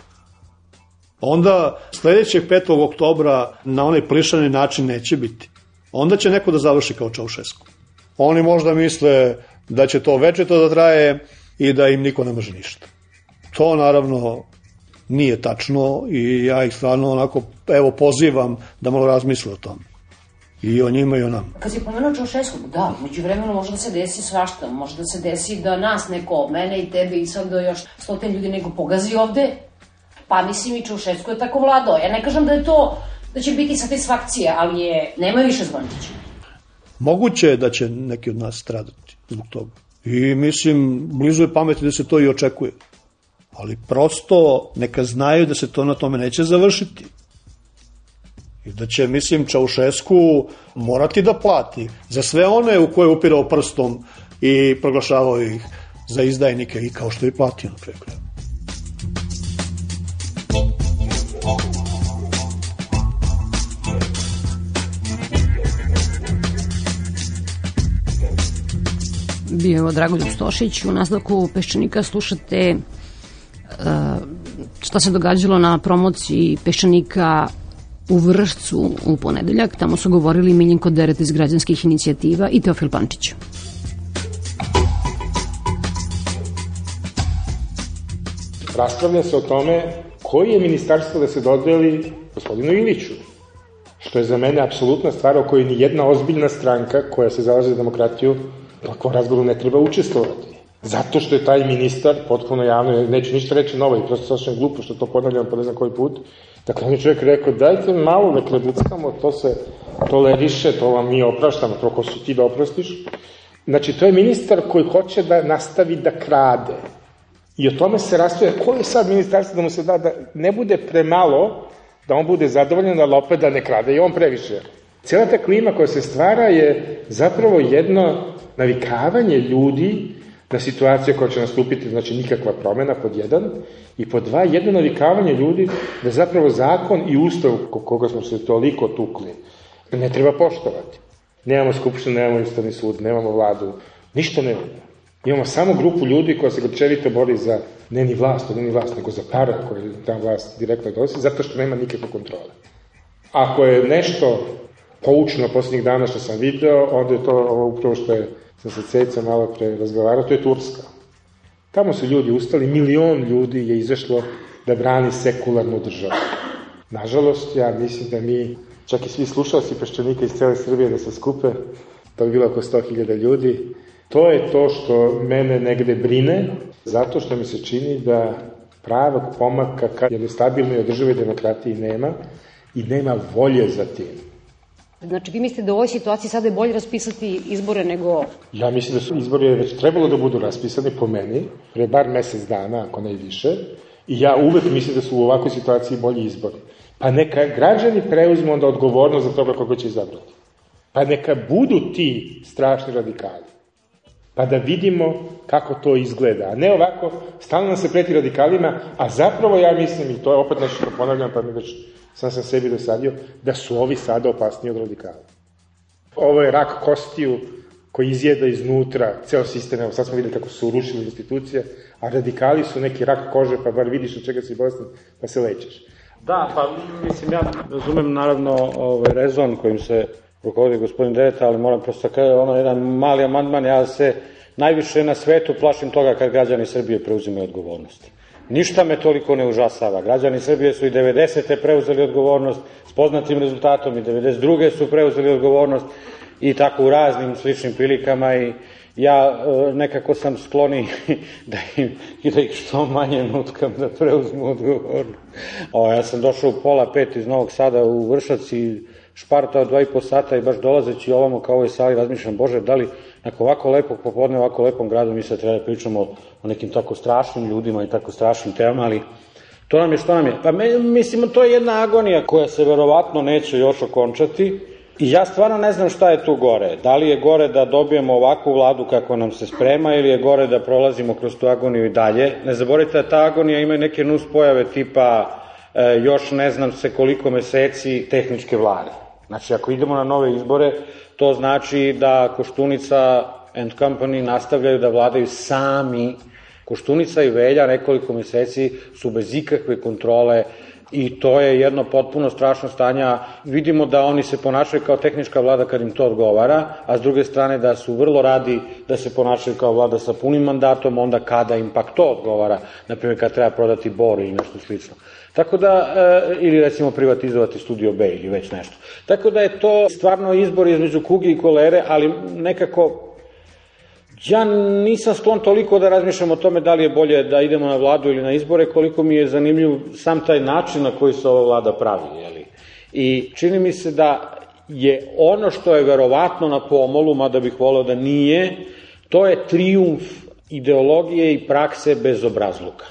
Speaker 9: Onda sledećeg petog oktobra na onaj plišani način neće biti. Onda će neko da završi kao Čaušesku. Oni možda misle da će to večito da traje i da im niko ne može ništa. To naravno nije tačno i ja ih stvarno onako, evo, pozivam da malo razmisle o tome. I o njima i o nama.
Speaker 8: Kad si pomenuo Čaušesku, da, među vremenu može da se desi svašta, može da se desi da nas neko, mene i tebe i sad da još stotin ljudi neko pogazi ovde, pa mislim i Čaušesku je tako vladao. Ja ne kažem da je to, da će biti satisfakcija, ali je, nema više zvončića.
Speaker 9: Moguće je da će neki od nas stradati zbog toga. I mislim, blizu je pameti da se to i očekuje. Ali prosto neka znaju da se to na tome neće završiti. I da će, mislim, Čaušesku morati da plati za sve one u koje je upirao prstom i proglašavao ih za izdajnike i kao što je platio na kraju krajeva.
Speaker 8: Bio je Dragoljub Stošić. U nastavku Peščanika slušate uh, šta se događalo na promociji Peščanika u Vršcu u ponedeljak. Tamo su govorili Miljenko Deret iz građanskih inicijativa i Teofil Pančić.
Speaker 10: Raspravlja se o tome koji je ministarstvo da se dodeli gospodinu Iliću, što je za mene apsolutna stvar o kojoj ni jedna ozbiljna stranka koja se zalaže za demokratiju u takvom razgovoru ne treba učestvovati. Zato što je taj ministar potpuno javno, neću ništa reći novo i prosto sašem glupo što to ponavljam po ne znam koji put. Dakle, on je čovjek rekao, dajte malo da klebuckamo, to se toleriše, to vam mi opraštamo, to ko su ti da oprostiš. Znači, to je ministar koji hoće da nastavi da krade. I o tome se raspravlja, ko je sad ministarstvo da mu se da, da ne bude premalo, da on bude zadovoljan, ali opet da ne krade i on previše. Cijela ta klima koja se stvara je zapravo jedno navikavanje ljudi na situacije koja će nastupiti, znači nikakva promjena, pod jedan, i pod dva, jedno navikavanje ljudi da zapravo zakon i ustav koga smo se toliko tukli ne treba poštovati. Nemamo skupštinu, nemamo ustavni sud, nemamo vladu, ništa nemamo. Imamo samo grupu ljudi koja se grčevito bori za ne ni vlast, ne ni vlast, nego za para koje ta vlast direktno donosi, zato što nema nikakve kontrole. Ako je nešto poučno posljednjih dana što sam video, onda je to ovo upravo što je sam se ceca malo pre razgovarao, to je Turska. Tamo su ljudi ustali, milion ljudi je izašlo da brani sekularnu državu. Nažalost, ja mislim da mi, čak i svi slušalci Peščanika iz cele Srbije da se skupe, to bi bilo oko sto hiljada ljudi, to je to što mene negde brine, zato što mi se čini da pravog pomaka ka jednoj stabilnoj održivoj demokratiji nema i nema volje za tim.
Speaker 8: Znači, vi mislite da u ovoj situaciji sada je bolje raspisati izbore nego...
Speaker 10: Ja mislim da su izbori već trebalo da budu raspisani po meni, pre bar mesec dana, ako ne i više, i ja uvek mislim da su u ovakvoj situaciji bolji izbori. Pa neka građani preuzmu onda odgovornost za toga koga će izabrati. Pa neka budu ti strašni radikali. Pa da vidimo kako to izgleda. A ne ovako, stalno nam se preti radikalima, a zapravo ja mislim, i to je opet nešto što ponavljam, pa mi već sam sam sebi dosadio, da su ovi sada opasniji od radikala. Ovo je rak kostiju koji izjeda iznutra ceo sistem, evo sad smo videli kako su urušili institucije, a radikali su neki rak kože, pa bar vidiš od čega si bolestan, pa se lečiš.
Speaker 11: Da, pa mislim, ja razumem naravno ovaj rezon kojim se rukovodi gospodin Dereta, ali moram prosto kada je ono jedan mali amandman, ja se najviše na svetu plašim toga kad građani Srbije preuzimaju odgovornost. Ništa me toliko ne užasava. Građani Srbije su i devedesete preuzeli odgovornost s poznatim rezultatom i devedeset druge su preuzeli odgovornost i tako u raznim sličnim prilikama i ja nekako sam skloni da, im, da ih što manje nutkam da preuzmu odgovornost. O, ja sam došao u pola pet iz Novog Sada u Vršac i špartao dva i po sata i baš dolazeći ovamo kao ovoj sali razmišljam, Bože, da li nakon ovako lepog popodne, ovako lepom gradu mi se treba da pričamo o nekim tako strašnim ljudima i tako strašnim temama, ali to nam je što nam je. Pa me, mislim, to je jedna agonija koja se verovatno neće još okončati i ja stvarno ne znam šta je tu gore. Da li je gore da dobijemo ovakvu vladu kako nam se sprema ili je gore da prolazimo kroz tu agoniju i dalje. Ne zaboravite da ta agonija ima neke nus pojave tipa e, još ne znam se koliko meseci tehničke vlade. Znači, ako idemo na nove izbore, to znači da Koštunica and Company nastavljaju da vladaju sami. Koštunica i Velja nekoliko meseci su bez ikakve kontrole i to je jedno potpuno strašno stanje. Vidimo da oni se ponašaju kao tehnička vlada kad im to odgovara, a s druge strane da su vrlo radi da se ponašaju kao vlada sa punim mandatom, onda kada im pak to odgovara, naprimjer kad treba prodati Bor ili nešto slično. Tako da, ili recimo privatizovati Studio B ili već nešto. Tako da je to stvarno izbor između kuge i kolere, ali nekako ja nisam sklon toliko da razmišljam o tome da li je bolje da idemo na vladu ili na izbore, koliko mi je zanimljiv sam taj način na koji se ova vlada pravi. Jeli? I čini mi se da je ono što je verovatno na pomolu, mada bih voleo da nije, to je trijumf ideologije i prakse bezobrazluka.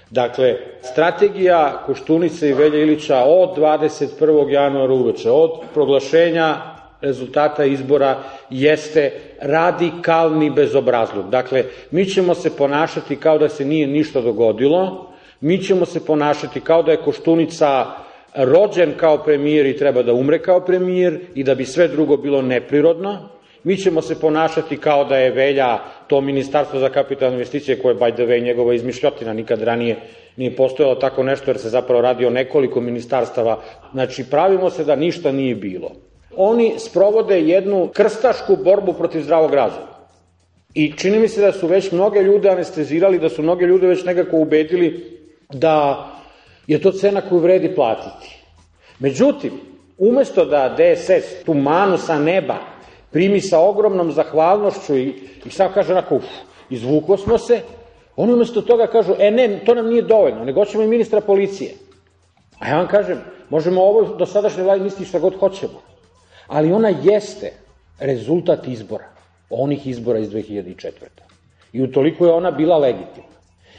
Speaker 11: Dakle, strategija Koštunice i Velje Ilića od dvadeset prvog januara uveče, od proglašenja rezultata izbora, jeste radikalni bezobrazluk. Dakle, mi ćemo se ponašati kao da se nije ništa dogodilo, mi ćemo se ponašati kao da je Koštunica rođen kao premijer i treba da umre kao premijer i da bi sve drugo bilo neprirodno, mi ćemo se ponašati kao da je Velja to ministarstvo za kapitalne investicije, koje, by the way, njegova izmišljotina, nikad ranije nije postojalo tako nešto, jer se zapravo radi o nekoliko ministarstava. Znači, pravimo se da ništa nije bilo. Oni sprovode jednu krstašku borbu protiv zdravog razuma. I čini mi se da su već mnoge ljude anestezirali, da su mnoge ljude već nekako ubedili da je to cena koju vredi platiti. Međutim, umesto da D S S tu manu sa neba primi sa ogromnom zahvalnošću i, i sad kaže onako, uf, izvuko smo se, oni umesto toga kažu, e ne, to nam nije dovoljno, nego ćemo i ministra policije. A ja vam kažem, možemo ovo do sadašnje vlade misliti šta god hoćemo, ali ona jeste rezultat izbora, onih izbora iz dve hiljade četvrte. I utoliko je ona bila legitimna.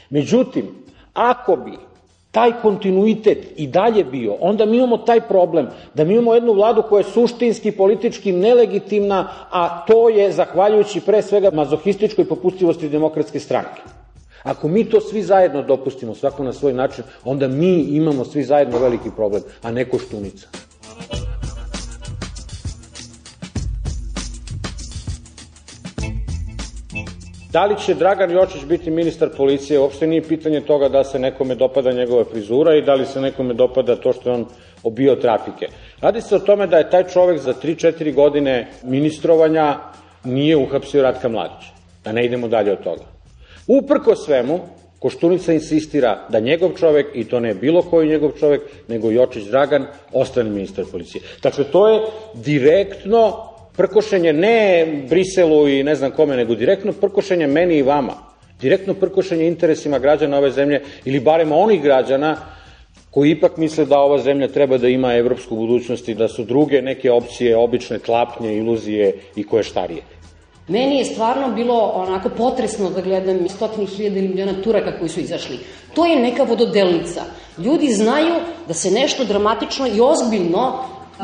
Speaker 11: Međutim, ako bi taj kontinuitet i dalje bio, onda mi imamo taj problem da mi imamo jednu vladu koja je suštinski, politički nelegitimna, a to je zahvaljujući pre svega mazohističkoj popustivosti Demokratske stranke. Ako mi to svi zajedno dopustimo, svako na svoj način, onda mi imamo svi zajedno veliki problem, a ne Koštunica. Da li će Dragan Jočić biti ministar policije, uopšte nije pitanje toga da se nekome dopada njegova frizura i da li se nekome dopada to što je on obio trafike. Radi se o tome da je taj čovek za tri četiri godine ministrovanja nije uhapsio Ratka Mladića. Da ne idemo dalje od toga. Uprko svemu, Koštunica insistira da njegov čovek, i to ne bilo koji njegov čovek, nego Jočić Dragan, ostane ministar policije. Dakle, to je direktno prkošenje ne Briselu i ne znam kome, nego direktno prkošenje meni i vama. Direktno prkošenje interesima građana ove zemlje, ili barem onih građana koji ipak misle da ova zemlja treba da ima evropsku budućnost i da su druge neke opcije, obične tlapnje, iluzije i koje štarije.
Speaker 8: Meni je stvarno bilo onako potresno da gledam stotine hiljada ili miliona Turaka koji su izašli. To je neka vododelnica. Ljudi znaju da se nešto dramatično i ozbiljno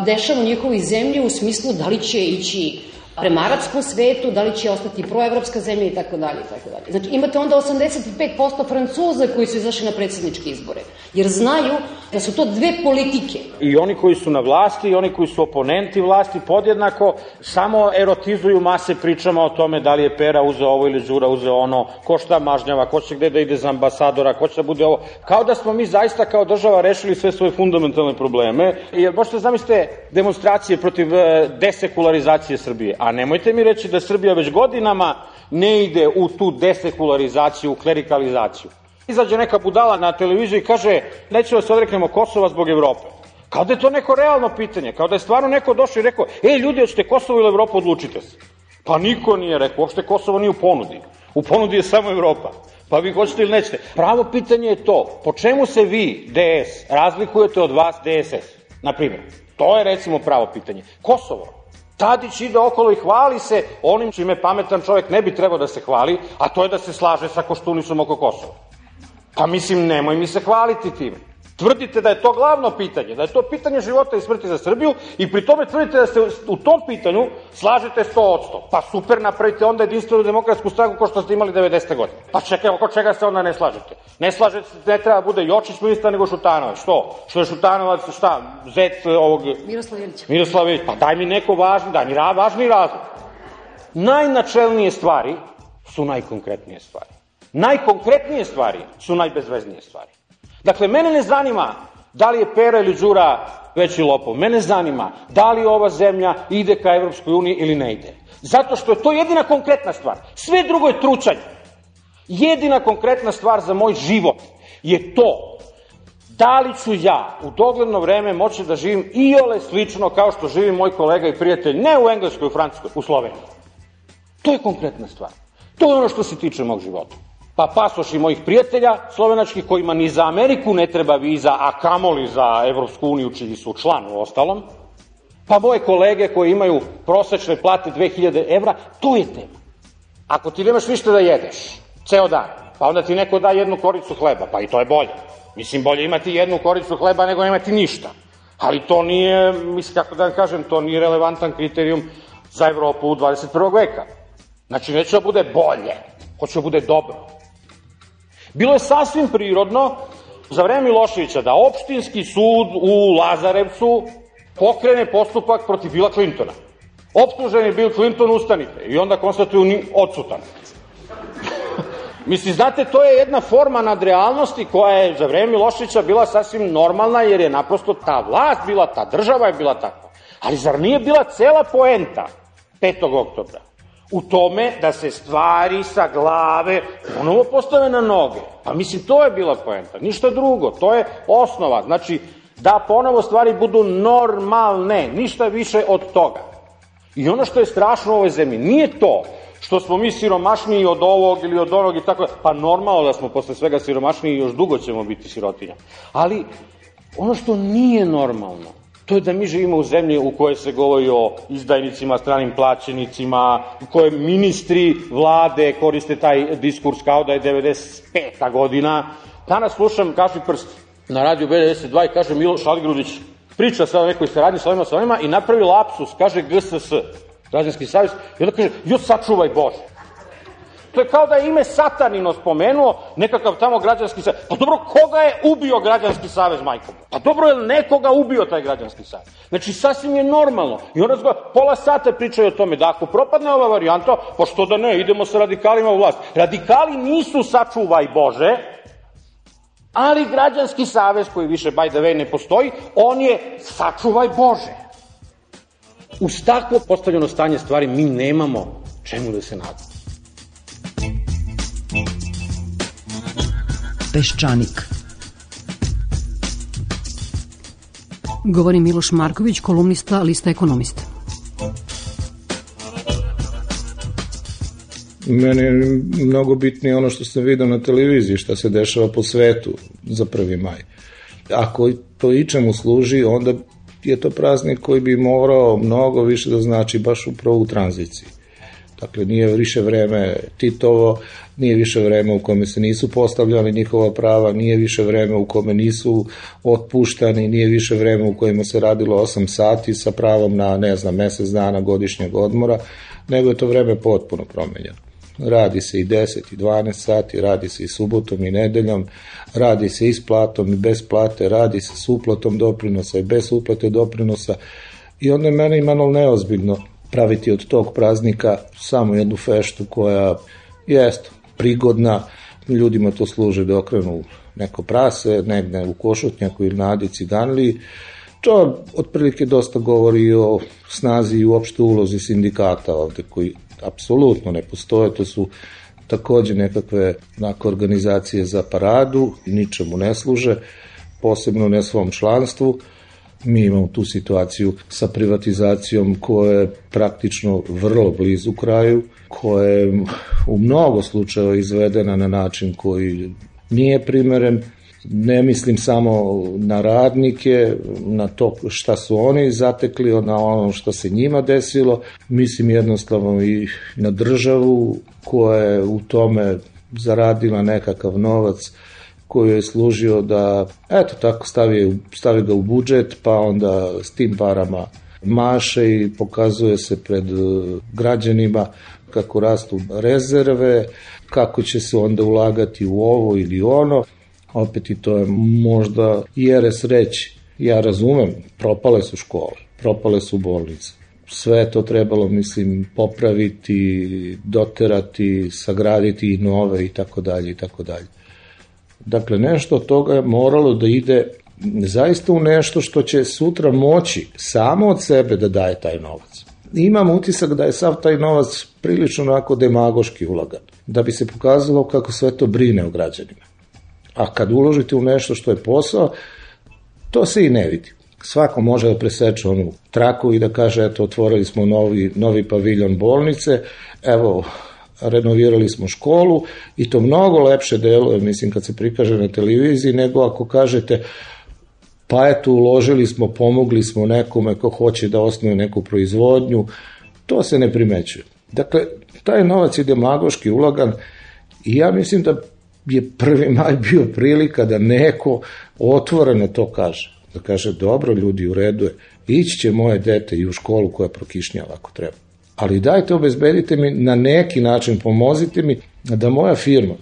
Speaker 8: dešava u njihovoj zemlji u smislu da li će ići prema arapskom svetu, da li će ostati proevropska zemlja i tako dalje i tako dalje. Znači imate onda osamdeset pet posto Francuza koji su izašli na predsjedničke izbore, jer znaju da su to dve politike.
Speaker 11: I oni koji su na vlasti i oni koji su oponenti vlasti podjednako samo erotizuju mase pričama o tome da li je Pera uzeo ovo ili Đura uzeo ono, ko šta mažnjava, ko će gde da ide za ambasadora, ko će da bude ovo. Kao da smo mi zaista kao država rešili sve svoje fundamentalne probleme. Jer možete zamislite demonstracije protiv desekularizacije Srbije. A nemojte mi reći da Srbija već godinama ne ide u tu desekularizaciju, klerikalizaciju. Izađe neka budala na televiziju i kaže nećemo se odreknemo Kosova zbog Evrope. Kao da je to neko realno pitanje, kao da je stvarno neko došao i rekao, ej ljudi, hoćete Kosovo ili Evropu, odlučite se. Pa niko nije rekao, uopšte Kosovo nije u ponudi. U ponudi je samo Evropa. Pa vi hoćete ili nećete. Pravo pitanje je to, po čemu se vi, D S, razlikujete od vas D S S? Naprimjer, to je recimo pravo pitanje. Kosovo. Tadić ide okolo i hvali se onim čime pametan čovjek ne bi trebao da se hvali, a to je da se slaže sa Koštunicom oko Kosova. Pa mislim, nemoj mi se hvaliti time. Tvrdite da je to glavno pitanje, da je to pitanje života i smrti za Srbiju i pri tome tvrdite da se u tom pitanju slažete sto odsto. Pa super, napravite onda jedinstvenu demokratsku stranku kao što ste imali devedesete godine. Pa čekaj, oko čega se onda ne slažete? Ne slažete se, ne treba bude Jočić ministar nego Šutanovac. Što? Što je Šutanovac, šta? Zet ovog...
Speaker 8: Miroslav Ilić.
Speaker 11: Miroslav Ilić. Pa daj mi neko važni, daj mi važni razlog. Najnačelnije stvari su najkonkretnije stvari. Najkonkretnije stvari su najbezveznije stvari. Dakle, mene ne zanima da li je Pera ili Đura veći lopov. Mene zanima da li ova zemlja ide ka Evropskoj uniji ili ne ide. Zato što je to jedina konkretna stvar. Sve drugo je tručanje. Jedina konkretna stvar za moj život je to da li ću ja u dogledno vreme moći da živim iole slično kao što živi moj kolega i prijatelj, ne u Engleskoj, u Francuskoj, u Sloveniji. To je konkretna stvar. To je ono što se tiče mog života. Pa pasoši mojih prijatelja slovenačkih kojima ni za Ameriku ne treba viza, a kamoli za Evropsku uniju čiji su član u ostalom, pa moje kolege koji imaju prosečne plate dve hiljade evra, to je tema. Ako ti nemaš ništa da jedeš, ceo dan, pa onda ti neko da jednu koricu hleba, pa i to je bolje. Mislim, bolje imati jednu koricu hleba nego imati ništa. Ali to nije, mislim, kako da vam kažem, to nije relevantan kriterijum za Evropu u dvadeset prvog veka. Znači, neće da bude bolje, hoće da bude dobro. Bilo je sasvim prirodno za vreme Miloševića da opštinski sud u Lazarevcu pokrene postupak protiv Billa Clintona. Optužen je Bill Clinton, ustanite. I onda konstatuju ni odsutan. Mislim, znate, to je jedna forma nadrealnosti koja je za vreme Miloševića bila sasvim normalna, jer je naprosto ta vlast bila, ta država je bila takva. Ali zar nije bila cela poenta petog oktobra u tome da se stvari sa glave ponovo postave na noge? Pa mislim, to je bila poenta, ništa drugo, to je osnova. Znači, da ponovo stvari budu normalne, ništa više od toga. I ono što je strašno u ovoj zemlji, nije to što smo mi siromašniji od ovog ili od onog i tako, pa normalno da smo posle svega siromašniji i još dugo ćemo biti sirotinja. Ali ono što nije normalno, to je da mi živimo u zemlji u kojoj se govori o izdajnicima, stranim plaćenicima, u kojoj ministri vlade koriste taj diskurs kao da je devedeset peta godina. Danas slušam Kaši Prst na radiju B devedeset dva i kaže Miloš Aligrudić, priča sa nekoj saradnji sa ovima sa ovima i napravi lapsus, kaže G S S, Građanski savez, i onda kaže, jo sačuvaj Bože. To je kao da je ime Satanino spomenuo, nekakav tamo Građanski savez. Pa dobro, koga je ubio Građanski savez, majko? Pa dobro, je li nekoga ubio taj Građanski savez? Znači, sasvim je normalno. I onda zgo, pola sata pričaju o tome da ako propadne ova varijanta, pa što da ne, idemo sa radikalima u vlast. Radikali nisu sačuvaj Bože, ali Građanski savez, koji više by the way ne postoji, on je sačuvaj Bože. Uz takvo postavljeno stanje stvari mi nemamo čemu da se nadamo.
Speaker 8: Peščanik. Govori Miloš Marković, kolumnista Lista Ekonomista.
Speaker 12: Meni je mnogo bitnije ono što sam vidio na televiziji, šta se dešava po svetu za prvi maj. Ako to ičemu služi, onda je to praznik koji bi morao mnogo više da znači baš upravo u tranziciji. Dakle, nije više vreme Titovo, nije više vreme u kome se nisu postavljali njihova prava, nije više vreme u kome nisu otpuštani, nije više vreme u kojima se radilo osam sati sa pravom na, ne znam, mesec dana godišnjeg odmora, nego je to vreme potpuno promenjeno. Radi se i deset i dvanaest sati, radi se i subotom i nedeljom, radi se i s platom i bez plate, radi se s uplatom doprinosa i bez uplate doprinosa i onda je mene imalo neozbiljno praviti od tog praznika samo jednu feštu koja jest prigodna, ljudima to služi da okrenu neko prase, negde u Košutnjaku ili na Adi Ciganliji. To otprilike dosta govori o snazi i uopšte ulozi sindikata ovde koji apsolutno ne postoje, to su takođe nekakve onako, organizacije za paradu, ničemu ne služe, posebno ne svom članstvu. Mi imamo tu situaciju sa privatizacijom koja je praktično vrlo blizu kraju, koja je u mnogo slučajeva izvedena na način koji nije primeren. Ne mislim samo na radnike, na to šta su oni zatekli, na ono što se njima desilo. Mislim jednostavno i na državu koja je u tome zaradila nekakav novac koji je služio da, eto tako, stavi, stavi ga u budžet, pa onda s tim parama maše i pokazuje se pred građanima kako rastu rezerve, kako će se onda ulagati u ovo ili ono. Opet i to je možda jeres reći. Ja razumem, propale su škole, propale su bolnice. Sve je to trebalo, mislim, popraviti, doterati, sagraditi i nove i tako dalje i tako dalje. Dakle, nešto od toga je moralo da ide zaista u nešto što će sutra moći samo od sebe da daje taj novac. Imam utisak da je sav taj novac prilično onako demagoški ulagan, da bi se pokazalo kako sve to brine o građanima. A kad uložite u nešto što je posao, to se i ne vidi. Svako može da preseče onu traku i da kaže, eto, otvorili smo novi, novi paviljon bolnice, evo, renovirali smo školu i to mnogo lepše deluje, mislim, kad se prikaže na televiziji, nego ako kažete, pa eto, uložili smo, pomogli smo nekome ko hoće da osnuje neku proizvodnju, to se ne primećuje. Dakle, taj novac je demagoški ulagan i ja mislim da je prvi maj bio prilika da neko otvoreno to kaže. Da kaže, dobro ljudi, u redu je, ići će moje dete i u školu koja prokišnjava ako treba. Ali dajte, obezbedite mi na neki način, pomozite mi da moja firma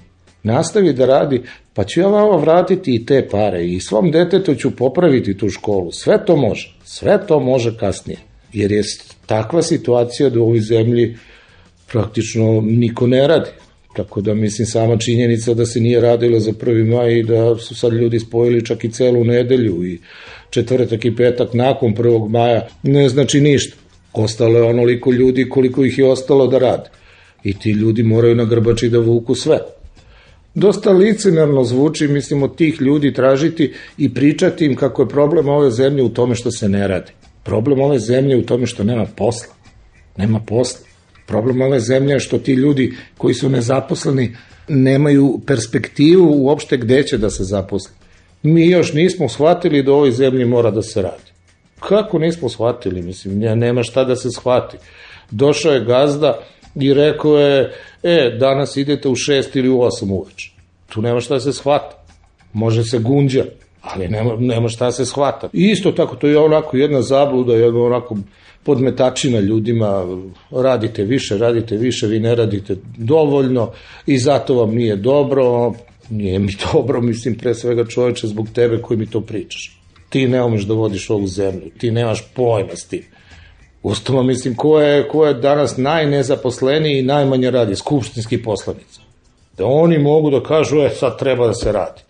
Speaker 12: nastavi da radi, pa ću ja vama vratiti i te pare i svom detetu ću popraviti tu školu. Sve to može, sve to može kasnije. Jer je takva situacija da u ovoj zemlji praktično niko ne radi. Tako da, mislim, sama činjenica da se nije radilo za prvi maj i da su sad ljudi spojili čak i celu nedelju i četvrtak i petak nakon prvog maja ne znači ništa. Ostalo je onoliko ljudi koliko ih je ostalo da rade. I ti ljudi moraju na grbači da vuku sve. Dosta licemerno zvuči, mislim, od tih ljudi tražiti i pričati im kako je problem ove zemlje u tome što se ne radi. Problem ove zemlje u tome što nema posla. Nema posla. Problem ove zemlje je što ti ljudi koji su nezaposleni nemaju perspektivu uopšte gde će da se zaposli. Mi još nismo shvatili da u ovoj zemlji mora da se radi. Kako nismo shvatili? Mislim, nema šta da se shvati. Došao je gazda i rekao je, e, danas idete u šest ili u osam uveče. Tu nema šta da se shvata. Može se gunđa, ali nema, nema šta da se shvata. I isto tako, to je onako jedna zabluda, jedna onako podmetačina ljudima, radite više, radite više, vi ne radite dovoljno i zato vam nije dobro. Nije mi dobro, mislim, pre svega čoveče zbog tebe koji mi to pričaš. Ti ne umeš da vodiš ovu zemlju, ti nemaš pojma s tim. Ustavno, mislim, ko je, ko je danas najnezaposleniji i najmanje radi? Skupštinski poslanici. Da oni mogu da kažu, e, sad treba da se radi.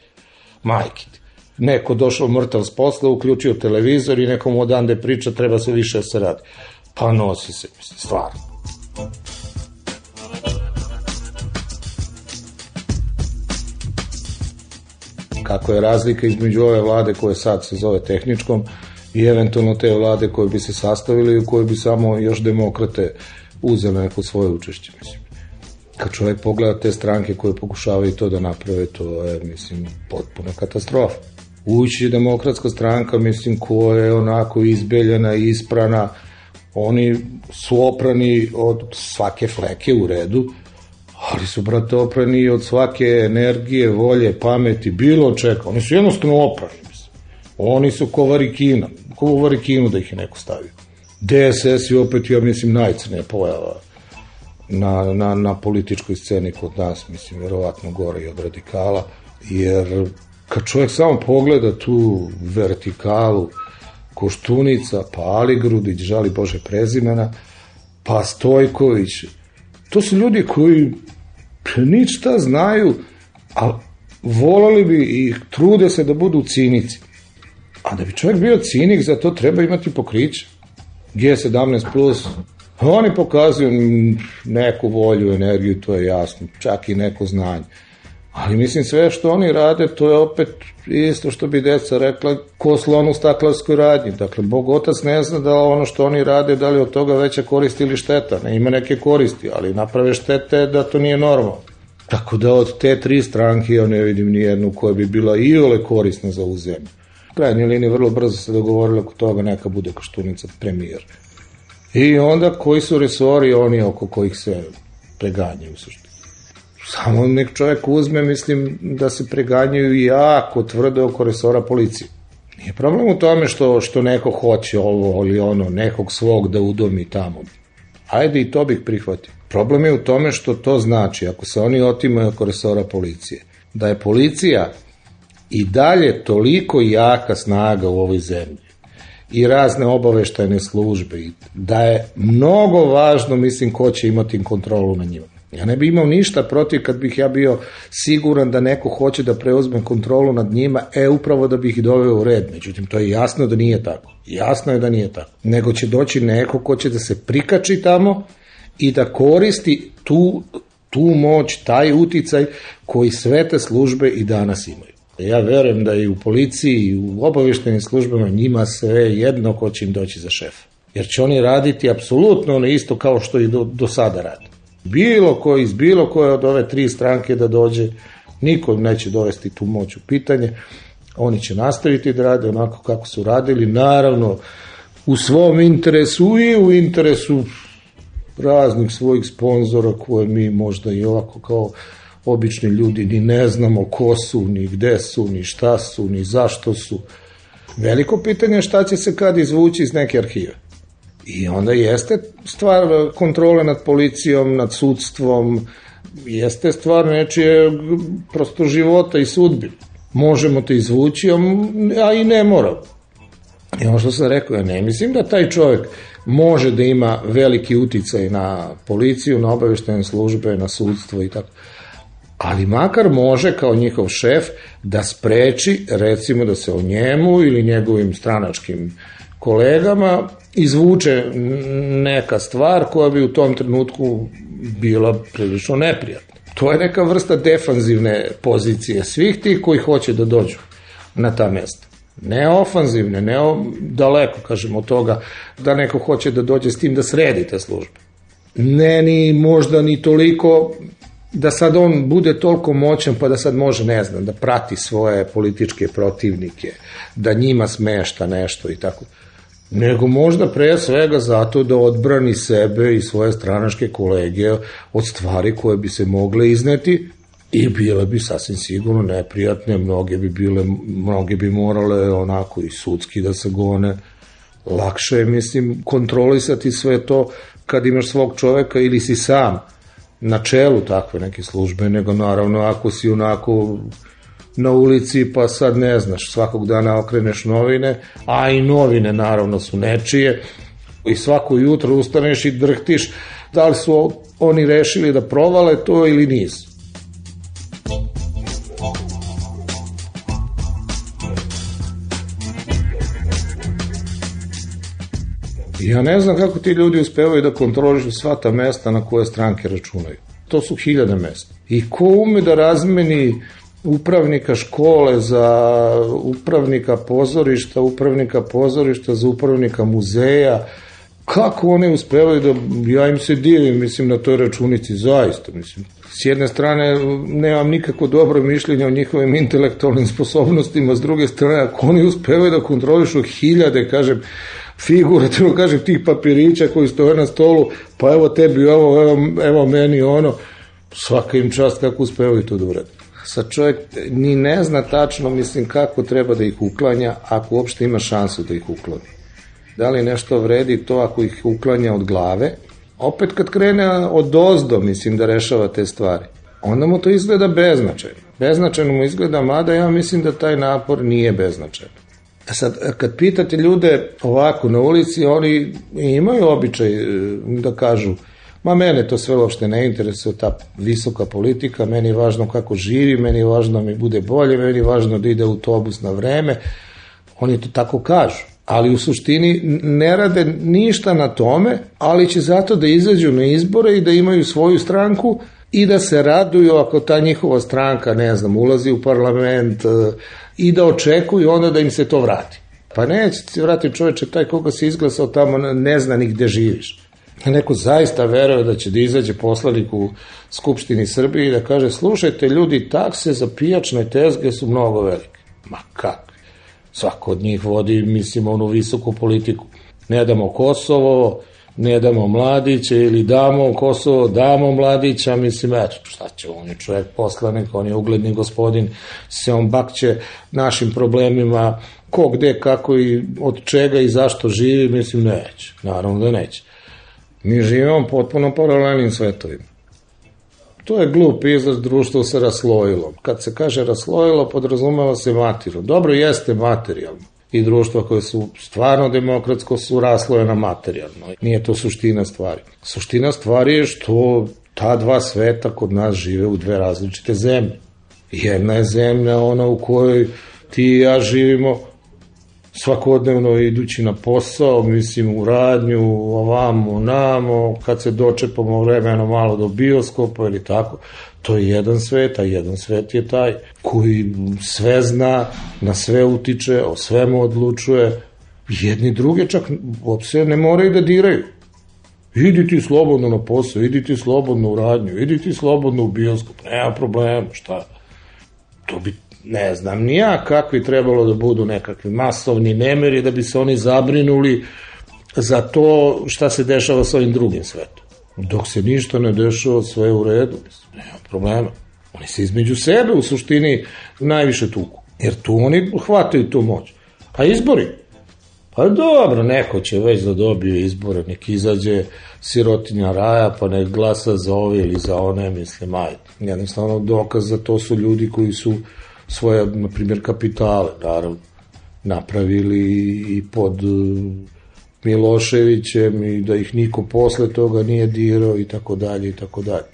Speaker 12: Majke ti. Neko došao mrtav s posla, uključio televizor i nekom odande priča, treba se više da se radi. Pa nosi se, mislim, stvarno. Kako je razlika između ove vlade koje sad se zove tehničkom i eventualno te vlade koje bi se sastavili i u koje bi samo još demokrate uzeli neko svoje učešće, mislim. Kad čovjek pogleda te stranke koje pokušavaju to da naprave, to je, mislim, potpuna katastrofa. Ući je demokratska stranka, mislim, koja je onako izbeljena i isprana, oni su oprani od svake fleke u redu, ali su, brate, oprani od svake energije, volje, pameti, bilo čega. Oni su jednostavno oprani, mislim. Oni su ko varikina, ko u varikinu da ih je neko stavio. D S S je opet, ja mislim, najcrnija pojava na, na, na političkoj sceni kod nas, mislim, verovatno gore i od radikala, jer kad čovjek samo pogleda tu vertikalu, Koštunica, pa Aligrudić, žali Bože prezimena, pa Stojković, to su ljudi koji ništa znaju, a volali bi i trude se da budu cinici. A da bi čovjek bio cinik, za to treba imati pokriće. G sedamnaest plus, oni pokazuju neku volju, energiju, to je jasno, čak i neko znanje. Ali mislim, sve što oni rade, to je opet isto što bi deca rekla, ko slon u staklarskoj radnji. Dakle, Bog otac ne zna da ono što oni rade, da li od toga veća korist ili šteta. Ne ima neke koristi, ali naprave štete da to nije normalno. Tako da od te tri stranke ja ne vidim nijednu koja bi bila iole korisna za ovu zemlju. U krajnjoj liniji vrlo brzo se dogovorili oko toga neka bude Koštunica premijer. I onda koji su resori oni oko kojih se preganjaju u suštini. Samo nek čovjek uzme, mislim da se preganjaju jako tvrdo oko resora policije. Nije problem u tome što, što neko hoće ovo ili ono, nekog svog da udomi tamo. Ajde i to bih prihvatio. Problem je u tome što to znači, ako se oni otimaju oko resora policije, da je policija i dalje toliko jaka snaga u ovoj zemlji i razne obaveštajne službe, da je mnogo važno, mislim, ko će imati kontrolu na njima. Ja ne bi imao ništa protiv kad bih ja bio siguran da neko hoće da preuzme kontrolu nad njima, e upravo da bih ih doveo u red. Međutim, to je jasno da nije tako. Jasno je da nije tako. Nego će doći neko ko će da se prikači tamo i da koristi tu, tu moć, taj uticaj koji sve te službe i danas imaju. Ja verujem da i u policiji i u obaveštajnim službama njima sve jedno ko će im doći za šefa. Jer će oni raditi apsolutno ono isto kao što i do, do sada radi. Bilo koji iz bilo koje od ove tri stranke da dođe, niko neće dovesti tu moć u pitanje. Oni će nastaviti da rade onako kako su radili, naravno u svom interesu i u interesu raznih svojih sponzora koje mi možda i ovako kao obični ljudi ni ne znamo ko su, ni gde su, ni šta su, ni zašto su. Veliko pitanje je šta će se kad izvući iz neke arhive. I onda jeste stvar kontrole nad policijom, nad sudstvom, jeste stvar nečije prosto života i sudbine. Možemo to izvući, a i ne moramo. I ono što sam rekao, ja ne mislim da taj čovjek može da ima veliki uticaj na policiju, na obaveštajne službe, na sudstvo i tako. Ali makar može kao njihov šef da spreči, recimo da se o njemu ili njegovim stranačkim kolegama izvuče neka stvar koja bi u tom trenutku bila prilično neprijatna. To je neka vrsta defanzivne pozicije svih tih koji hoće da dođu na ta mesta. Ne ofanzivne, ne o, daleko, kažemo, od toga da neko hoće da dođe s tim da sredi te službe. Ne ni možda ni toliko da sad on bude toliko moćan pa da sad može, ne znam, da prati svoje političke protivnike, da njima smešta nešto i tako. Nego možda pre svega zato da odbrani sebe i svoje stranačke kolege od stvari koje bi se mogle izneti i bile bi sasvim sigurno neprijatne, mnoge bi bile, mnoge bi morale onako i sudski da se gone. Lakše je, mislim, kontrolisati sve to kad imaš svog čoveka ili si sam na čelu takve neke službe, nego naravno ako si onako na ulici pa sad ne znaš, svakog dana okreneš novine, a i novine naravno su nečije i svako jutro ustaneš i drhtiš da li su oni rešili da provale to ili nisu. Ja ne znam kako ti ljudi uspevaju da kontrolišu sva ta mesta na koje stranke računaju. To su hiljade mesta. I ko ume da razmeni upravnika škole za upravnika pozorišta, upravnika pozorišta za upravnika muzeja, kako oni uspevaju da, ja im se divim, mislim, na toj računici, zaista, mislim. S jedne strane, nemam nikako dobro mišljenje o njihovim intelektualnim sposobnostima, s druge strane, ako oni uspevaju da kontrolišu hiljade, kažem, figurativno, kažem, tih papirića koji stoje na stolu, pa evo tebi ovo, evo, evo meni ono, svaka im čast kako uspevaju to da uradi. Sad čovjek ni ne zna tačno, mislim, kako treba da ih uklanja, ako uopšte ima šansu da ih ukloni. Da li nešto vredi to ako ih uklanja od glave? Opet kad krene od ozdo, mislim, da rešava te stvari, onda mu to izgleda beznačajno. Beznačajno mu izgleda, mada ja mislim da taj napor nije beznačajan. A sad, kad pitate ljude ovako na ulici, oni imaju običaj da kažu, ma mene to sve uopšte ne interesuje, ta visoka politika, meni je važno kako živi, meni je važno da mi bude bolje, meni je važno da ide autobus na vreme. Oni to tako kažu, ali u suštini ne rade ništa na tome, ali će zato da izađu na izbore i da imaju svoju stranku i da se raduju ako ta njihova stranka, ne znam, ulazi u parlament i da očekuju onda da im se to vrati. Pa neće se vratiti, čoveče, taj koga se izglasao tamo ne zna ni gde živiš. Neko zaista veruje da će da izađe poslanik u Skupštini Srbije i da kaže, slušajte ljudi, takse za pijačne tezge su mnogo velike. Ma kako? Svako od njih vodi, mislim, onu visoku politiku. Ne damo Kosovo, ne damo mladiće ili damo Kosovo, damo mladića, mislim, eto, šta će, on je čovjek poslanik, on je ugledni gospodin, se on bakće našim problemima, ko, gde, kako i od čega i zašto živi, mislim, neće, naravno da neće. Mi živimo potpuno paralelnim svetovima. To je glup izraz, društvo se raslojilo. Kad se kaže raslojilo, podrazumeva se materijalno. Dobro, jeste materijalno. I društva koje su stvarno demokratsko su raslojena materijalno. Nije to suština stvari. Suština stvari je što ta dva sveta kod nas žive u dve različite zemlje. Jedna je zemlja ona u kojoj ti i ja živimo svakodnevno idući na posao, mislim u radnju, ovamo, namo, kad se dočepamo vremeno malo do bioskopa ili tako, to je jedan svet, a jedan svet je taj koji sve zna, na sve utiče, o svemu odlučuje, jedni druge čak uopšte ne moraju da diraju. Idi ti slobodno na posao, idi ti slobodno u radnju, idi ti slobodno u bioskop, nema problema, šta? To bi ne znam ni ja kakvi trebalo da budu nekakvi masovni nemiri da bi se oni zabrinuli za to šta se dešava sa ovim drugim svetom. Dok se ništa ne dešava, sve je u redu, nema problema. Oni se između sebe u suštini najviše tuku, jer tu oni hvataju tu moć. A izbori? Pa dobro, neko će već da dobije izbore, nek izađe sirotinja raja, pa nek glasa za ove ili za one, mislim, ajde. Jednostavno dokaz za to su ljudi koji su svoje, na primjer, kapitale, naravno, napravili i pod Miloševićem i da ih niko posle toga nije dirao i tako dalje i tako dalje.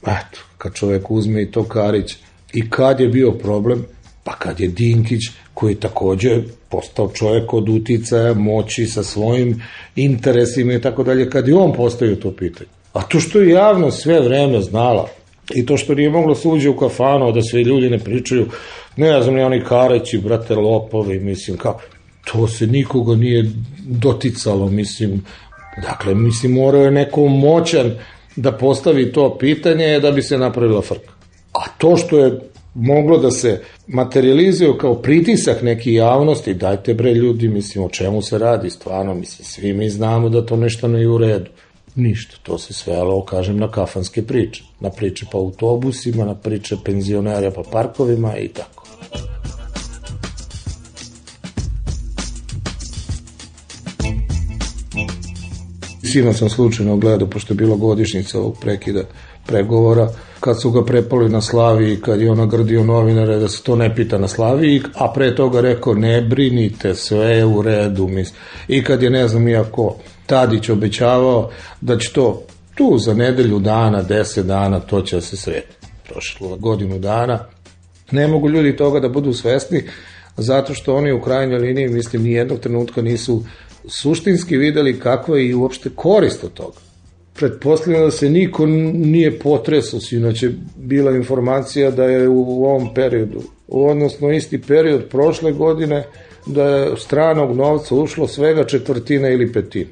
Speaker 12: Eto, kad čovek uzme i to Karić. I kad je bio problem? Pa kad je Dinkić, koji je takođe postao čovek od uticaja, moći sa svojim interesima i tako dalje, kad je on postavio to pitanje. A to što je javno sve vreme znala, i to što nije moglo se uđe u kafanu, da sve ljudi ne pričaju, ne znam, ni oni Karići, brate, lopovi, mislim, kako, to se nikoga nije doticalo, mislim, dakle, mislim, morao je neko moćan da postavi to pitanje da bi se napravila frka. A to što je moglo da se materializuje kao pritisak neki javnosti, dajte bre ljudi, mislim, o čemu se radi, stvarno, mislim, svi mi znamo da to nešto ne je u redu. Ništa, to se svelo, kažem, na kafanske priče. Na priče po autobusima, na priče penzionera po parkovima i tako. Sino sam slučajno gledao, pošto je bila godišnjica ovog prekida pregovora, kad su ga prepali na Slaviji, kad je ona grdio novinare da se to ne pita na Slaviji, a pre toga rekao ne brinite, sve je u redu. I kad je, ne znam, iako Tadić obećavao da će to tu za nedelju dana, deset dana, to će se sredi. Prošlo godinu dana. Ne mogu ljudi toga da budu svesni, zato što oni u krajnjoj liniji, mislim, nijednog trenutka nisu suštinski videli kakva je i uopšte korist od toga. Pretpostavljam da se niko nije potresao, inače bila informacija da je u ovom periodu, odnosno isti period prošle godine, da je stranog novca ušlo svega četvrtina ili petina.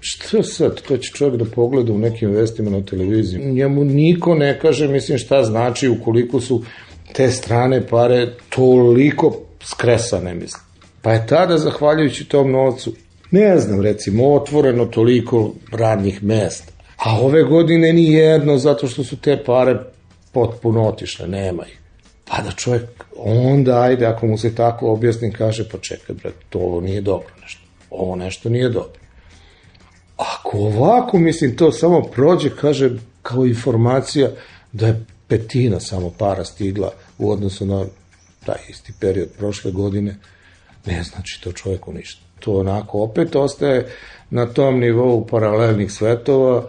Speaker 12: Što sad? To će čovjek da pogleda u nekim vestima na televiziji. Njemu niko ne kaže, mislim, šta znači ukoliko su te strane pare toliko skresane, mislim. Pa je tada, zahvaljujući tom novcu, ne znam, recimo, otvoreno toliko radnih mesta. A ove godine ni jedno, zato što su te pare potpuno otišle, nema ih. Pa da čovjek, onda ajde, ako mu se tako objasni, kaže, pa čekaj, bre, to ovo nije dobro nešto. Ovo nešto nije dobro. Ako ovako, mislim, to samo prođe, kaže, kao informacija da je petina samo para stigla u odnosu na taj isti period prošle godine, ne znači to čovjeku ništa. To onako opet ostaje na tom nivou paralelnih svetova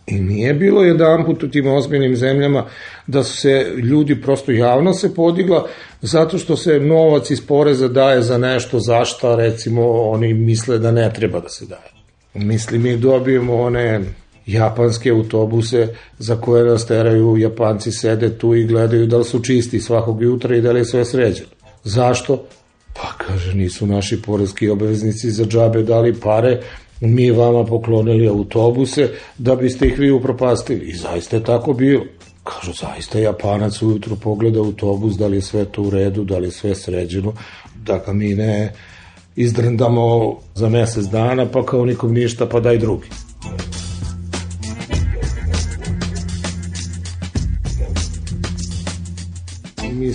Speaker 12: i nije bilo jedan put u tim ozbiljnim zemljama da su se ljudi, prosto javno se podigla zato što se novac iz poreza daje za nešto za šta, recimo, oni misle da ne treba da se daje. Mislim, mi dobijemo one japanske autobuse za koje nas teraju, Japanci sede tu i gledaju da li su čisti svakog jutra i da li je sve sređeno. Zašto? Pa kaže, nisu naši poreski obveznici za džabe dali pare, mi vama poklonili autobuse da biste ih vi upropastili. I zaista je tako bilo. Kažu, zaista Japanac ujutru pogleda autobus, da li je sve to u redu, da li je sve sređeno, da ga mi ne izdrndamo za mesec dana, pa kao nikom ništa, pa daj drugi.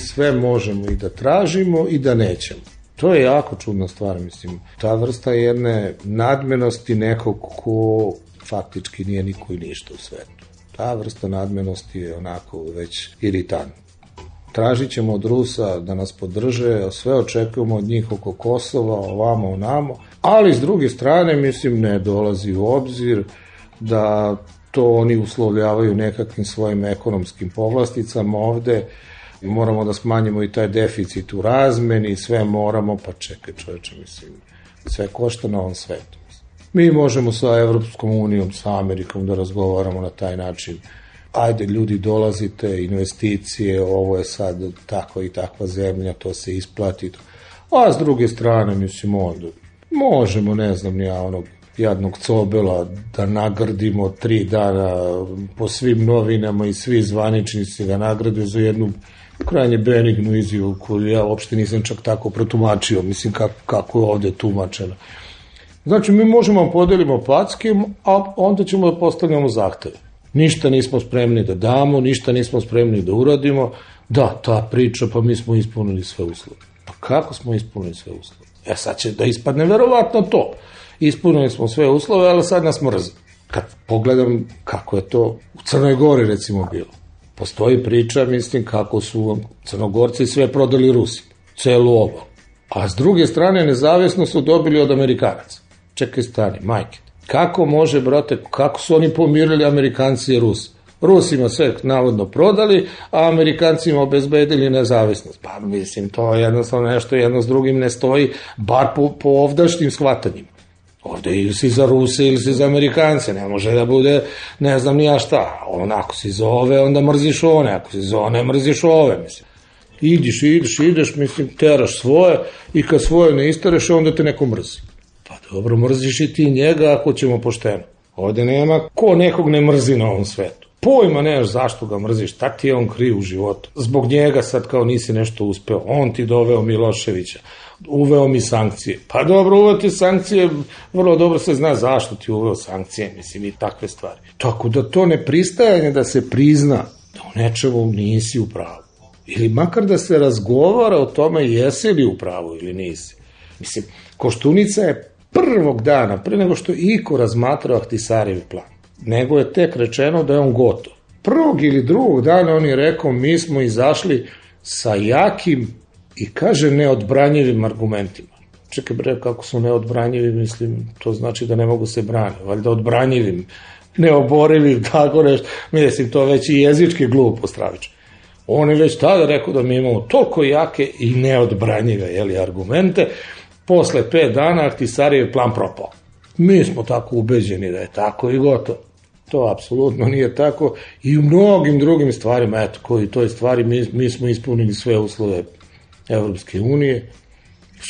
Speaker 12: sve možemo i da tražimo i da nećemo. To je jako čudna stvar, mislim. Ta vrsta jedne nadmenosti nekog ko faktički nije niko i ništa u svetu. Ta vrsta nadmenosti je onako već iritantna. Tražit ćemo od Rusa da nas podrže, sve očekujemo od njih oko Kosova, ovamo, onamo, ali s druge strane, mislim, ne dolazi u obzir da to oni uslovljavaju nekakvim svojim ekonomskim povlasticama ovde. Moramo da smanjimo i taj deficit u razmeni, sve moramo, pa čekaj čoveče, mislim, sve košta na ovom svetu. Mi možemo sa Evropskom unijom, sa Amerikom da razgovaramo na taj način. Ajde, ljudi, dolazite, investicije, ovo je sad takva i takva zemlja, to se isplati. A s druge strane, mislim, onda možemo, ne znam, ja onog jadnog Cobela da nagradimo tri dana po svim novinama i svi zvaničnici ga nagrade za jednu krajnje benignu izjavu koju ja uopšte nisam čak tako protumačio, mislim kako, kako je ovde tumačeno. Znači, mi možemo da podelimo packe, a onda ćemo da postavljamo zahteve. Ništa nismo spremni da damo, ništa nismo spremni da uradimo. Da, ta priča, pa mi smo ispunili sve uslove. Pa kako smo ispunili sve uslove? E sad će da ispadne verovatno to. Ispunili smo sve uslove, ali sad nas mrzi. Kad pogledam kako je to u Crnoj Gori recimo bilo. Postoji priča, mislim, kako su Crnogorci sve prodali Rusi. Celu obalu. A s druge strane, nezavisno su dobili od Amerikanaca. Čekaj, stani, majke. Kako može, brate, kako su oni pomirili Amerikanci i Rusi? Rusima sve navodno prodali, a Amerikancima obezbedili nezavisnost. Pa mislim, to je jednostavno nešto jedno s drugim ne stoji, bar po, po ovdašnjim shvatanjima. Ovde ili si za Ruse ili si za Amerikance, ne može da bude ne znam ni ja šta. On, ako si za ove, onda mrziš one, ako si za one, mrziš ove, mislim. Idiš, ideš, ideš, mislim, teraš svoje i kad svoje ne istereš, onda te neko mrzi. Pa dobro, mrziš i ti njega ako ćemo pošteno. Ovde nema ko nekog ne mrzi na ovom svetu. Pojma nemaš zašto ga mrziš, šta ti je on kriv u životu. Zbog njega sad kao nisi nešto uspeo, on ti doveo Miloševića, uveo mi sankcije. Pa dobro, uveo ti sankcije, vrlo dobro se zna zašto ti uveo sankcije, mislim, i takve stvari. Tako da to ne pristajanje da se prizna da u nečemu nisi u pravu. Ili makar da se razgovara o tome jesi li u pravu ili nisi. Mislim, Koštunica je prvog dana, pre nego što je iko razmatrao Ahtisarijev plan, nego je tek rečeno da je on gotov. Prvog ili drugog dana on je rekao mi smo izašli sa jakim i kaže neodbranjivim argumentima. Čekaj bre, kako su neodbranjivi, mislim, to znači da ne mogu se braniti, valjda odbranjivim, neoborivim, tako nešto, mislim, to već i jezički glupo stravično. On je već tada rekao da mi imamo toliko jake i neodbranjive jeli, argumente, posle pet dana Ahtisarijev plan propao. Mi smo tako ubeđeni da je tako i gotovo. To apsolutno nije tako i u mnogim drugim stvarima, eto, koji toj stvari mi, mi smo ispunili sve uslove Evropske unije.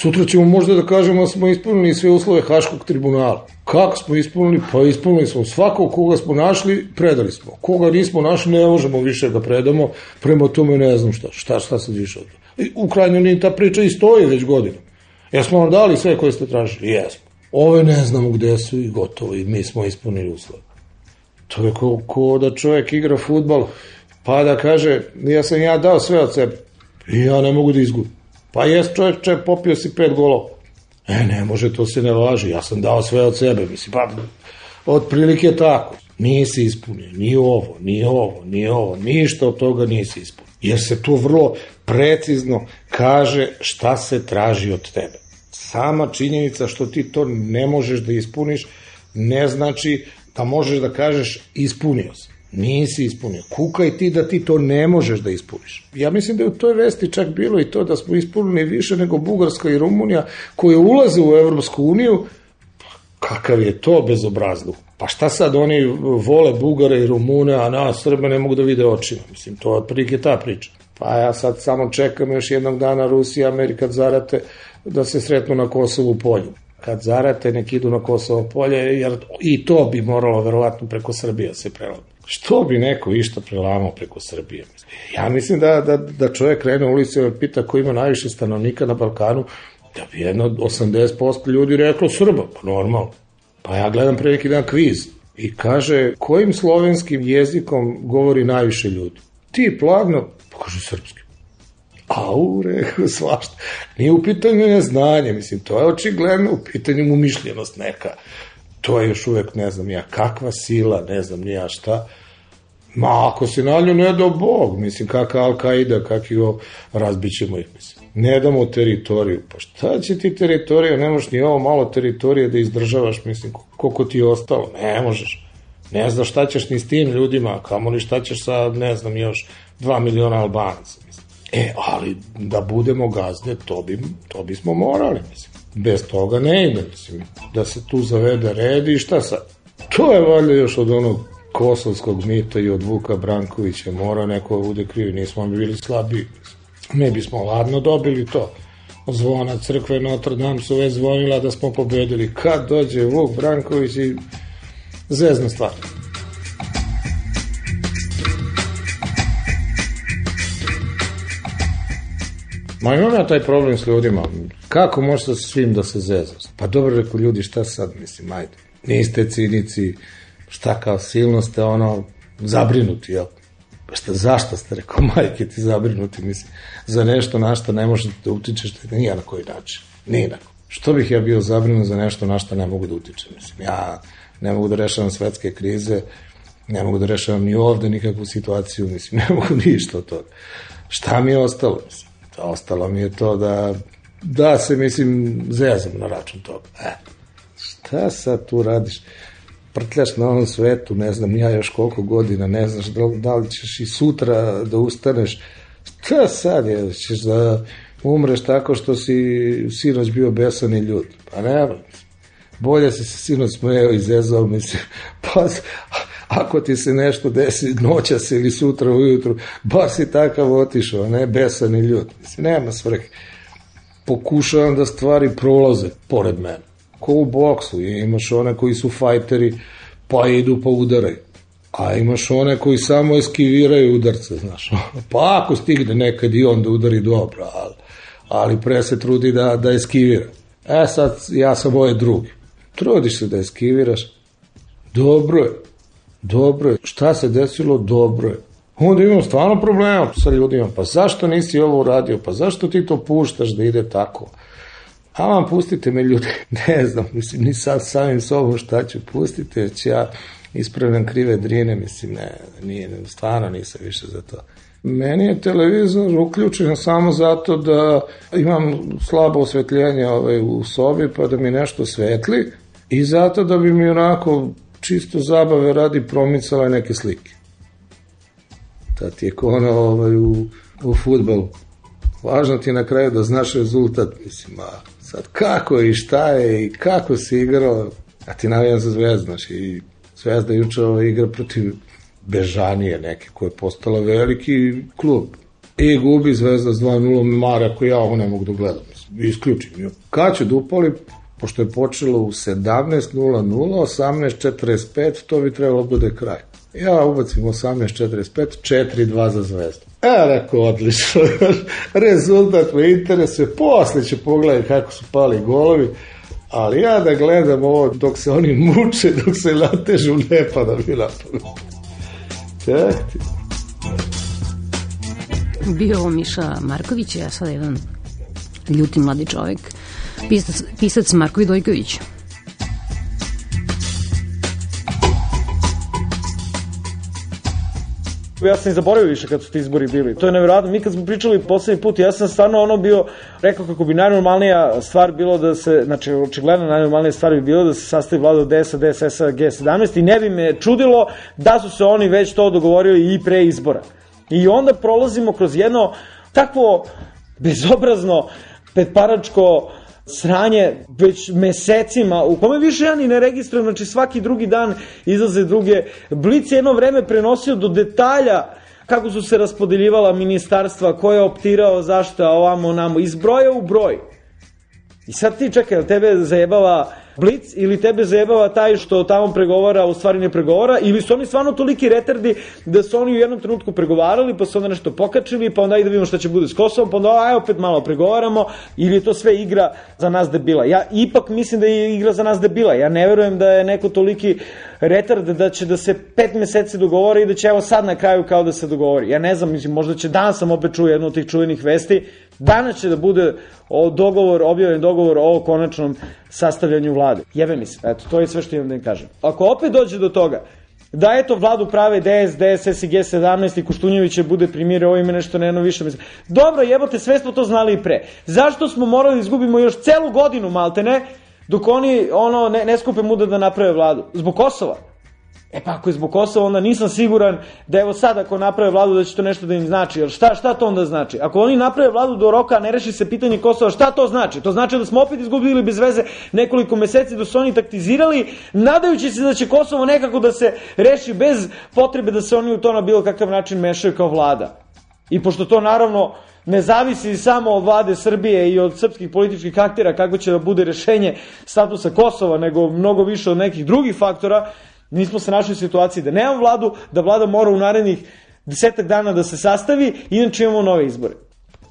Speaker 12: Sutra ćemo možda da kažemo da smo ispunili sve uslove Haškog tribunala. Kako smo ispunili? Pa ispunili smo svakog koga smo našli, predali smo. Koga nismo našli, ne možemo više da predamo, prema tome ne znam šta, šta, šta sad više od toga. U krajnjoj liniji ta priča i stoji već godinama. Jesmo vam dali sve koje ste tražili? Jesmo. Ove ne znamo gde su i gotovo i mi smo ispunili uslove. To je ko, ko da čovjek igra fudbal, pa da kaže, ja sam ja dao sve od sebe i ja ne mogu da izgubim. Pa jes čovječe, popio si pet golova. E, ne može, to se ne važi, ja sam dao sve od sebe, mislim, pa otprilike tako. Nisi ispunio, ni ovo, ni ovo, ni ovo, ništa od toga nisi ispunio. Jer se tu vrlo precizno kaže šta se traži od tebe. Sama činjenica što ti to ne možeš da ispuniš, ne znači da možeš da kažeš ispunio si. Nisi ispunio. Kukaj ti da ti to ne možeš da ispuniš. Ja mislim da je u toj vesti čak bilo i to da smo ispunili više nego Bugarska i Rumunija koje ulaze u Evropsku uniju. Kakav je to bezobrazluk? Pa šta sad oni vole Bugare i Rumune, a nas Srbe ne mogu da vide očima? Mislim, to je prilike ta priča. Pa ja sad samo čekam još jednog dana Rusija i Amerika zarate da se sretnu na Kosovu polju. Kad zarate, nek idu na Kosovo polje, jer i to bi moralo verovatno preko Srbije se prelamo. Što bi neko išta prelamao preko Srbije? Ja mislim da, da, da čovjek krene u ulici i pita ko ima najviše stanovnika na Balkanu, da bi jedno od osamdeset posto ljudi reklo Srba, pa normalno. Pa ja gledam pre neki dan kviz i kaže kojim slovenskim jezikom govori najviše ljudi? Ti plavno, pa kaže srpski. A u reku svašta. Nije u pitanju neznanje, mislim, to je očigledno u pitanju umišljenost neka. To je još uvek, ne znam ja, kakva sila, ne znam ni ja šta. Ma, ako se nalju, ne dao Bog, mislim, kakva Al-Qaida, kakvi ovo, razbit ćemo ih, mislim. Ne damo teritoriju, pa šta će ti teritorija, ne možeš ni ovo malo teritorije da izdržavaš, mislim, koliko ti je ostalo, ne možeš. Ne znaš šta ćeš ni s tim ljudima, kamo li šta ćeš sa, ne znam, još dva miliona Albanaca, mislim. E, ali da budemo gazde, to, bi, to bismo morali, mislim. Bez toga ne ide, mislim, da se tu zavede red i šta sad? To je valjda još od onog kosovskog mita i od Vuka Brankovića, mora neko bude krivi, nismo mi bili slabiji, mislim. Mi bismo ladno dobili to. Zvona crkve Notre Dame su već zvonila da smo pobedili. Kad dođe Vuk Branković i zezna stvar. Ma imam ja taj problem s ljudima. Kako može sa svim da se zezna? Pa dobro, reku ljudi, šta sad, mislim, ajde. Niste cinici, šta kao silno ste ono zabrinuti, jel? Pa šta, zašto ste, rekao, majke ti zabrinuti, mislim, za nešto na što ne možete da utičeš, nije na koji način, nije na koji. Što bih ja bio zabrinut za nešto na što ne mogu da utičem, mislim, ja ne mogu da rešavam svetske krize, ne mogu da rešavam ni ovde nikakvu situaciju, mislim, ne mogu ništa od toga. Šta mi je ostalo, mislim, ostalo mi je to da, da se, mislim, zezam na račun toga, e, šta sad tu radiš? Prtljaš na onom svetu, ne znam ja još koliko godina, ne znaš da, da li ćeš i sutra da ustaneš, šta sad je, ćeš da umreš tako što si sinoć bio besan i ljud, pa nema, bolje si se sinoć smejao i zezao, mislim, pa ako ti se nešto desi noćas ili sutra ujutru, bar si takav otišao, ne besan i ljud, mislim, nema svrhe, pokušavam da stvari prolaze pored mene. Ko u boksu, imaš one koji su fajteri pa idu pa udaraju, a imaš one koji samo eskiviraju udarce, znaš, pa ako stigne nekad i on da udari dobro, ali, ali pre se trudi da, da eskivira. E sad, ja sam ovaj drugi, trudiš se da eskiviraš, dobro je, dobro je, šta se desilo, dobro je. Onda imam stvarno problema sa ljudima, pa zašto nisi ovo uradio, pa zašto ti to puštaš da ide tako? A vam pustite me ljudi, ne znam, mislim, ni sad samim sobom šta ću, pustite, jer ću ja ispravljam krive drine, mislim, ne, nije, stvarno nisam više za to. Meni je televizor uključen samo zato da imam slabo osvetljenje ovaj, u sobi, pa da mi nešto svetli, i zato da bi mi onako čisto zabave radi promicala neke slike. Tad ti je ko ono ovaj, u, u fudbalu. Važno ti je na kraju da znaš rezultat, mislim, a sad kako je i šta je i kako si igrao, a ti navijam za Zvezdu, znaš, i Zvezda juče igra protiv Bežanije neke, koja je postala veliki klub. I gubi Zvezda s dva nula, Mare, ako ja ovo ne mogu da gledam, isključim ju. Kad ću da upali, pošto je počelo u sedamnaest nula nula, osamnaest četrdeset pet, to bi trebalo bude kraj. Ja ubacim osamnaest četrdeset pet, četiri dva za Zvezdu. E, rekao, odlično, rezultat me interesuje, posle ću pogledati kako su pali golovi, ali ja da gledam ovo dok se oni muče, dok se natežu, ne pada mi na pamet. Ček ti.
Speaker 8: Bio ovo Miša Marković, ja sada jedan ljuti mladi čovjek, pisac, pisac Marko Vidojković.
Speaker 13: Ja sam i zaboravio više kad su ti izbori bili. To je nevjerojatno. Mi kad smo pričali poslednji put, ja sam stvarno ono bio, rekao kako bi najnormalnija stvar bilo da se, znači očigledno najnormalnija stvar bi bilo da se sastavi vlada od D S A, D S S-a, G sedamnaest i ne bi me čudilo da su se oni već to dogovorili i pre izbora. I onda prolazimo kroz jedno takvo bezobrazno, petparačko sranje već mesecima, u kome više ja ni ne registrujem, znači svaki drugi dan izlaze druge. Blic je jedno vreme prenosio do detalja kako su se raspodeljivala ministarstva, ko je optirao, zašto, ovamo, namo, iz broja u broj. I sad ti čekaj, tebe zajebava Blic ili tebe zajebava taj što tamo pregovara, u stvari ne pregovara, ili su oni stvarno toliki retardi da su oni u jednom trenutku pregovarali, pa su onda nešto pokačili, pa onda ajde da vidimo šta će bude s Kosovom, pa onda aj opet malo pregovaramo, ili je to sve igra za nas debila. Ja ipak mislim da je igra za nas debila. Ja ne verujem da je neko toliki retard da će da se pet meseci dogovori i da će evo sad na kraju kao da se dogovori. Ja ne znam, mislim, možda će danas sam opet čuo jednu od tih čuvenih vesti, danas će da bude o dogovor, objavljen dogovor o konačnom sastavljanju vlade. Jebe mi se, eto, to je sve što imam da im kažem. Ako opet dođe do toga da eto vladu prave D S, D S S i G sedamnaest i Koštunjević će bude primjer, ovo ime nešto ne više mislim. Dobro, jebote, sve smo to znali i pre. Zašto smo morali da izgubimo još celu godinu maltene dok oni ono ne, ne skupe muda da naprave vladu? Zbog Kosova? E pa ako je zbog Kosova, onda nisam siguran da evo sad ako naprave vladu da će to nešto da im znači. Jer šta, šta to onda znači? Ako oni naprave vladu do roka, a ne reši se pitanje Kosova, šta to znači? To znači da smo opet izgubili bez veze nekoliko meseci da su oni taktizirali, nadajući se da će Kosovo nekako da se reši bez potrebe da se oni u to na bilo kakav način mešaju kao vlada. I pošto to naravno ne zavisi samo od vlade Srbije i od srpskih političkih aktera kako će da bude rešenje statusa Kosova, nego mnogo više od nekih drugih faktora, mi smo se našli u situaciji da nemamo vladu, da vlada mora u narednih desetak dana da se sastavi, inače imamo nove izbore.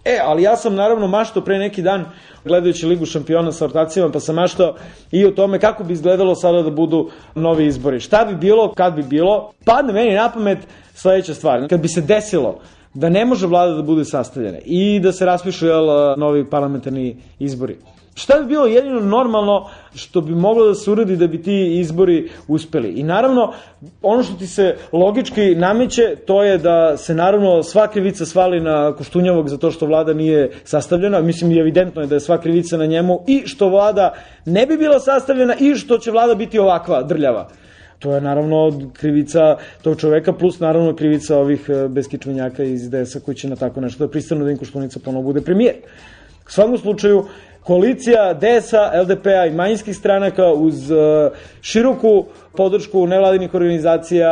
Speaker 13: E, ali ja sam naravno maštao pre neki dan, gledajući Ligu šampiona sa ortacima, pa sam maštao i o tome kako bi izgledalo sada da budu novi izbori. Šta bi bilo, kad bi bilo, padne meni na pamet sledeća stvar. Kad bi se desilo da ne može vlada da bude sastavljena i da se raspišu jel, novi parlamentarni izbori, šta bi bilo jedino normalno što bi moglo da se uradi da bi ti izbori uspeli? I naravno, ono što ti se logički nameće, to je da se naravno sva krivica svali na Koštunjevog za to što vlada nije sastavljena. Mislim, evidentno je da je sva krivica na njemu i što vlada ne bi bila sastavljena i što će vlada biti ovakva, drljava. To je naravno krivica tog čoveka, plus naravno krivica ovih beskičmenjaka iz D S-a koji će na tako nešto da pristanu da im Koštunica ponovo bude premijer. U svakom slučaju, koalicija D S-a, L D P-a i manjinskih stranaka uz široku podršku nevladinih organizacija,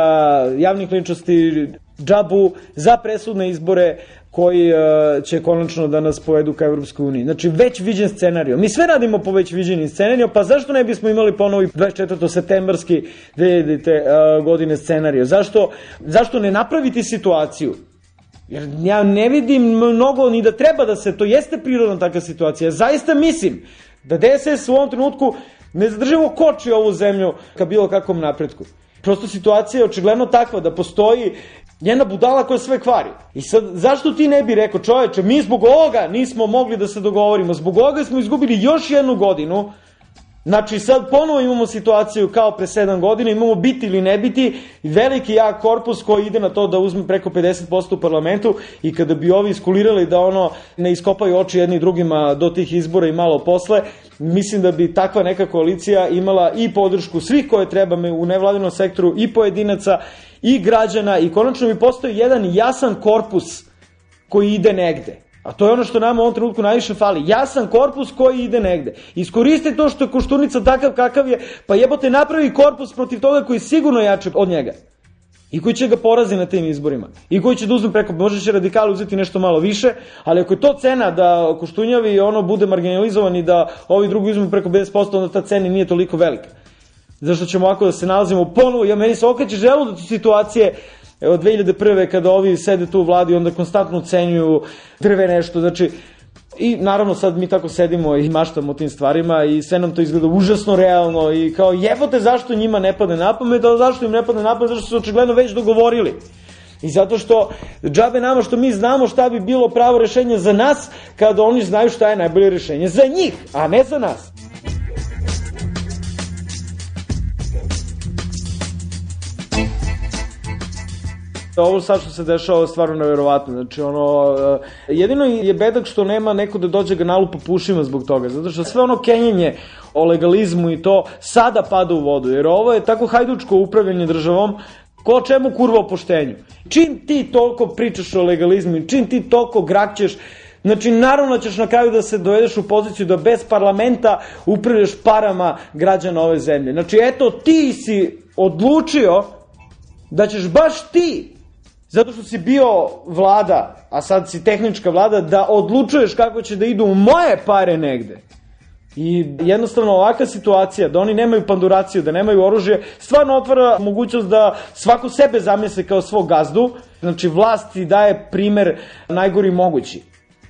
Speaker 13: javnih ličnosti, džabu za presudne izbore koji će konačno da nas povedu ka Evropskoj uniji. Znači, već viđen scenario. Mi sve radimo po već viđenim scenario, pa zašto ne bismo imali ponovo dvadeset četvrtog septembarski dve hiljadite godine scenario? Zašto, zašto ne napraviti situaciju? Jer ja ne vidim mnogo ni da treba da se, to jeste prirodna takva situacija. Zaista mislim da D S S u ovom trenutku ne zadržimo koči ovu zemlju ka bilo kakvom napretku. Prosto situacija je očigledno takva da postoji jedna budala koja sve kvari. I sad, zašto ti ne bi rekao, čoveče, mi zbog ovoga nismo mogli da se dogovorimo, zbog ovoga smo izgubili još jednu godinu. Znači sad ponovo imamo situaciju kao pre sedam godina, imamo biti ili ne biti, veliki jak korpus koji ide na to da uzme preko pedeset posto u parlamentu i kada bi ovi iskulirali da ono ne iskopaju oči jedni drugima do tih izbora i malo posle, mislim da bi takva neka koalicija imala i podršku svih koje treba u nevladinom sektoru i pojedinaca i građana i konačno bi postoji jedan jasan korpus koji ide negde. A to je ono što nama u ovom trenutku najviše fali. Jasan korpus koji ide negde. Iskoristi to što je Koštunica takav kakav je, pa jebote napravi korpus protiv toga koji je sigurno jači od njega. I koji će ga porazi na tim izborima. I koji će da uzme preko, možda će radikali uzeti nešto malo više, ali ako je to cena da Koštunjavi ono bude marginalizovan i da ovi drugi uzme preko pedeset posto, onda ta cena nije toliko velika. Zašto ćemo ovako da se nalazimo ponovo, ja meni se okreće želudac od situacije od dve hiljade prve kada ovi sede tu u vladi i onda konstantno ocenjuju drve nešto, znači i naravno sad mi tako sedimo i maštamo o tim stvarima i sve nam to izgleda užasno realno i kao jebote zašto njima ne padne na pamet, a zašto im ne padne na pamet, zašto su očigledno već dogovorili. I zato što džabe nama što mi znamo šta bi bilo pravo rešenje za nas kada oni znaju šta je najbolje rešenje za njih, a ne za nas. Ovo sad što se dešava je stvarno neverovatno, znači ono, jedino je bedak što nema neko da dođe ga nalupa po ušima zbog toga, zato što sve ono kenjenje o legalizmu i to sada pada u vodu, jer ovo je tako hajdučko upravljanje državom, ko čemu kurva o poštenju. Čim ti toliko pričaš o legalizmu, čim ti toliko grakćeš, znači naravno ćeš na kraju da se dovedeš u poziciju da bez parlamenta upravljaš parama građana ove zemlje. Znači eto ti si odlučio da ćeš baš ti, zato što si bio vlada, a sad si tehnička vlada, da odlučuješ kako će da idu moje pare negde. I jednostavno ovakva situacija, da oni nemaju panduraciju, da nemaju oružje, stvarno otvara mogućnost da svako sebe zamisli kao svog gazdu. Znači, vlast ti daje primer najgori mogući.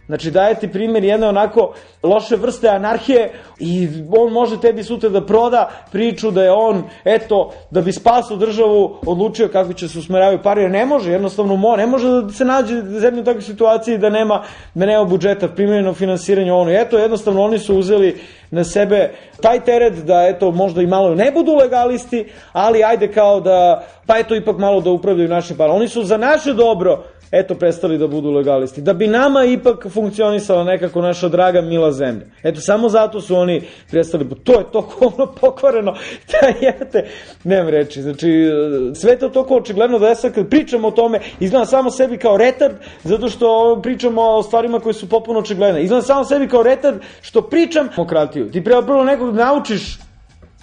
Speaker 13: Znači, daje ti primjer jedne onako loše vrste anarhije i on može tebi sutra da proda priču da je on, eto, da bi spasao državu, odlučio kako će se usmeravaju pare, jer ne može, jednostavno mo, ne može da se nađe zemlja u takvoj situaciji da nema, da nema budžeta, primjereno finansiranje ono. Eto, jednostavno oni su uzeli na sebe taj teret da, eto, možda i malo ne budu legalisti, ali ajde kao da, pa eto, ipak malo da upravljaju našim parama. Oni su za naše dobro, eto, prestali da budu legalisti. Da bi nama ipak funkcionisala nekako naša draga mila zemlja. Eto, samo zato su oni prestali. To je toliko ono pokvareno. Da jete, nemam reći. Znači, sve to toliko očigledno da ja sad kad pričam o tome, izgledam samo sebi kao retard, zato što pričamo o stvarima koje su potpuno očigledne. Izgledam samo sebi kao retard što pričam demokratiju. Ti treba prvo nekog da naučiš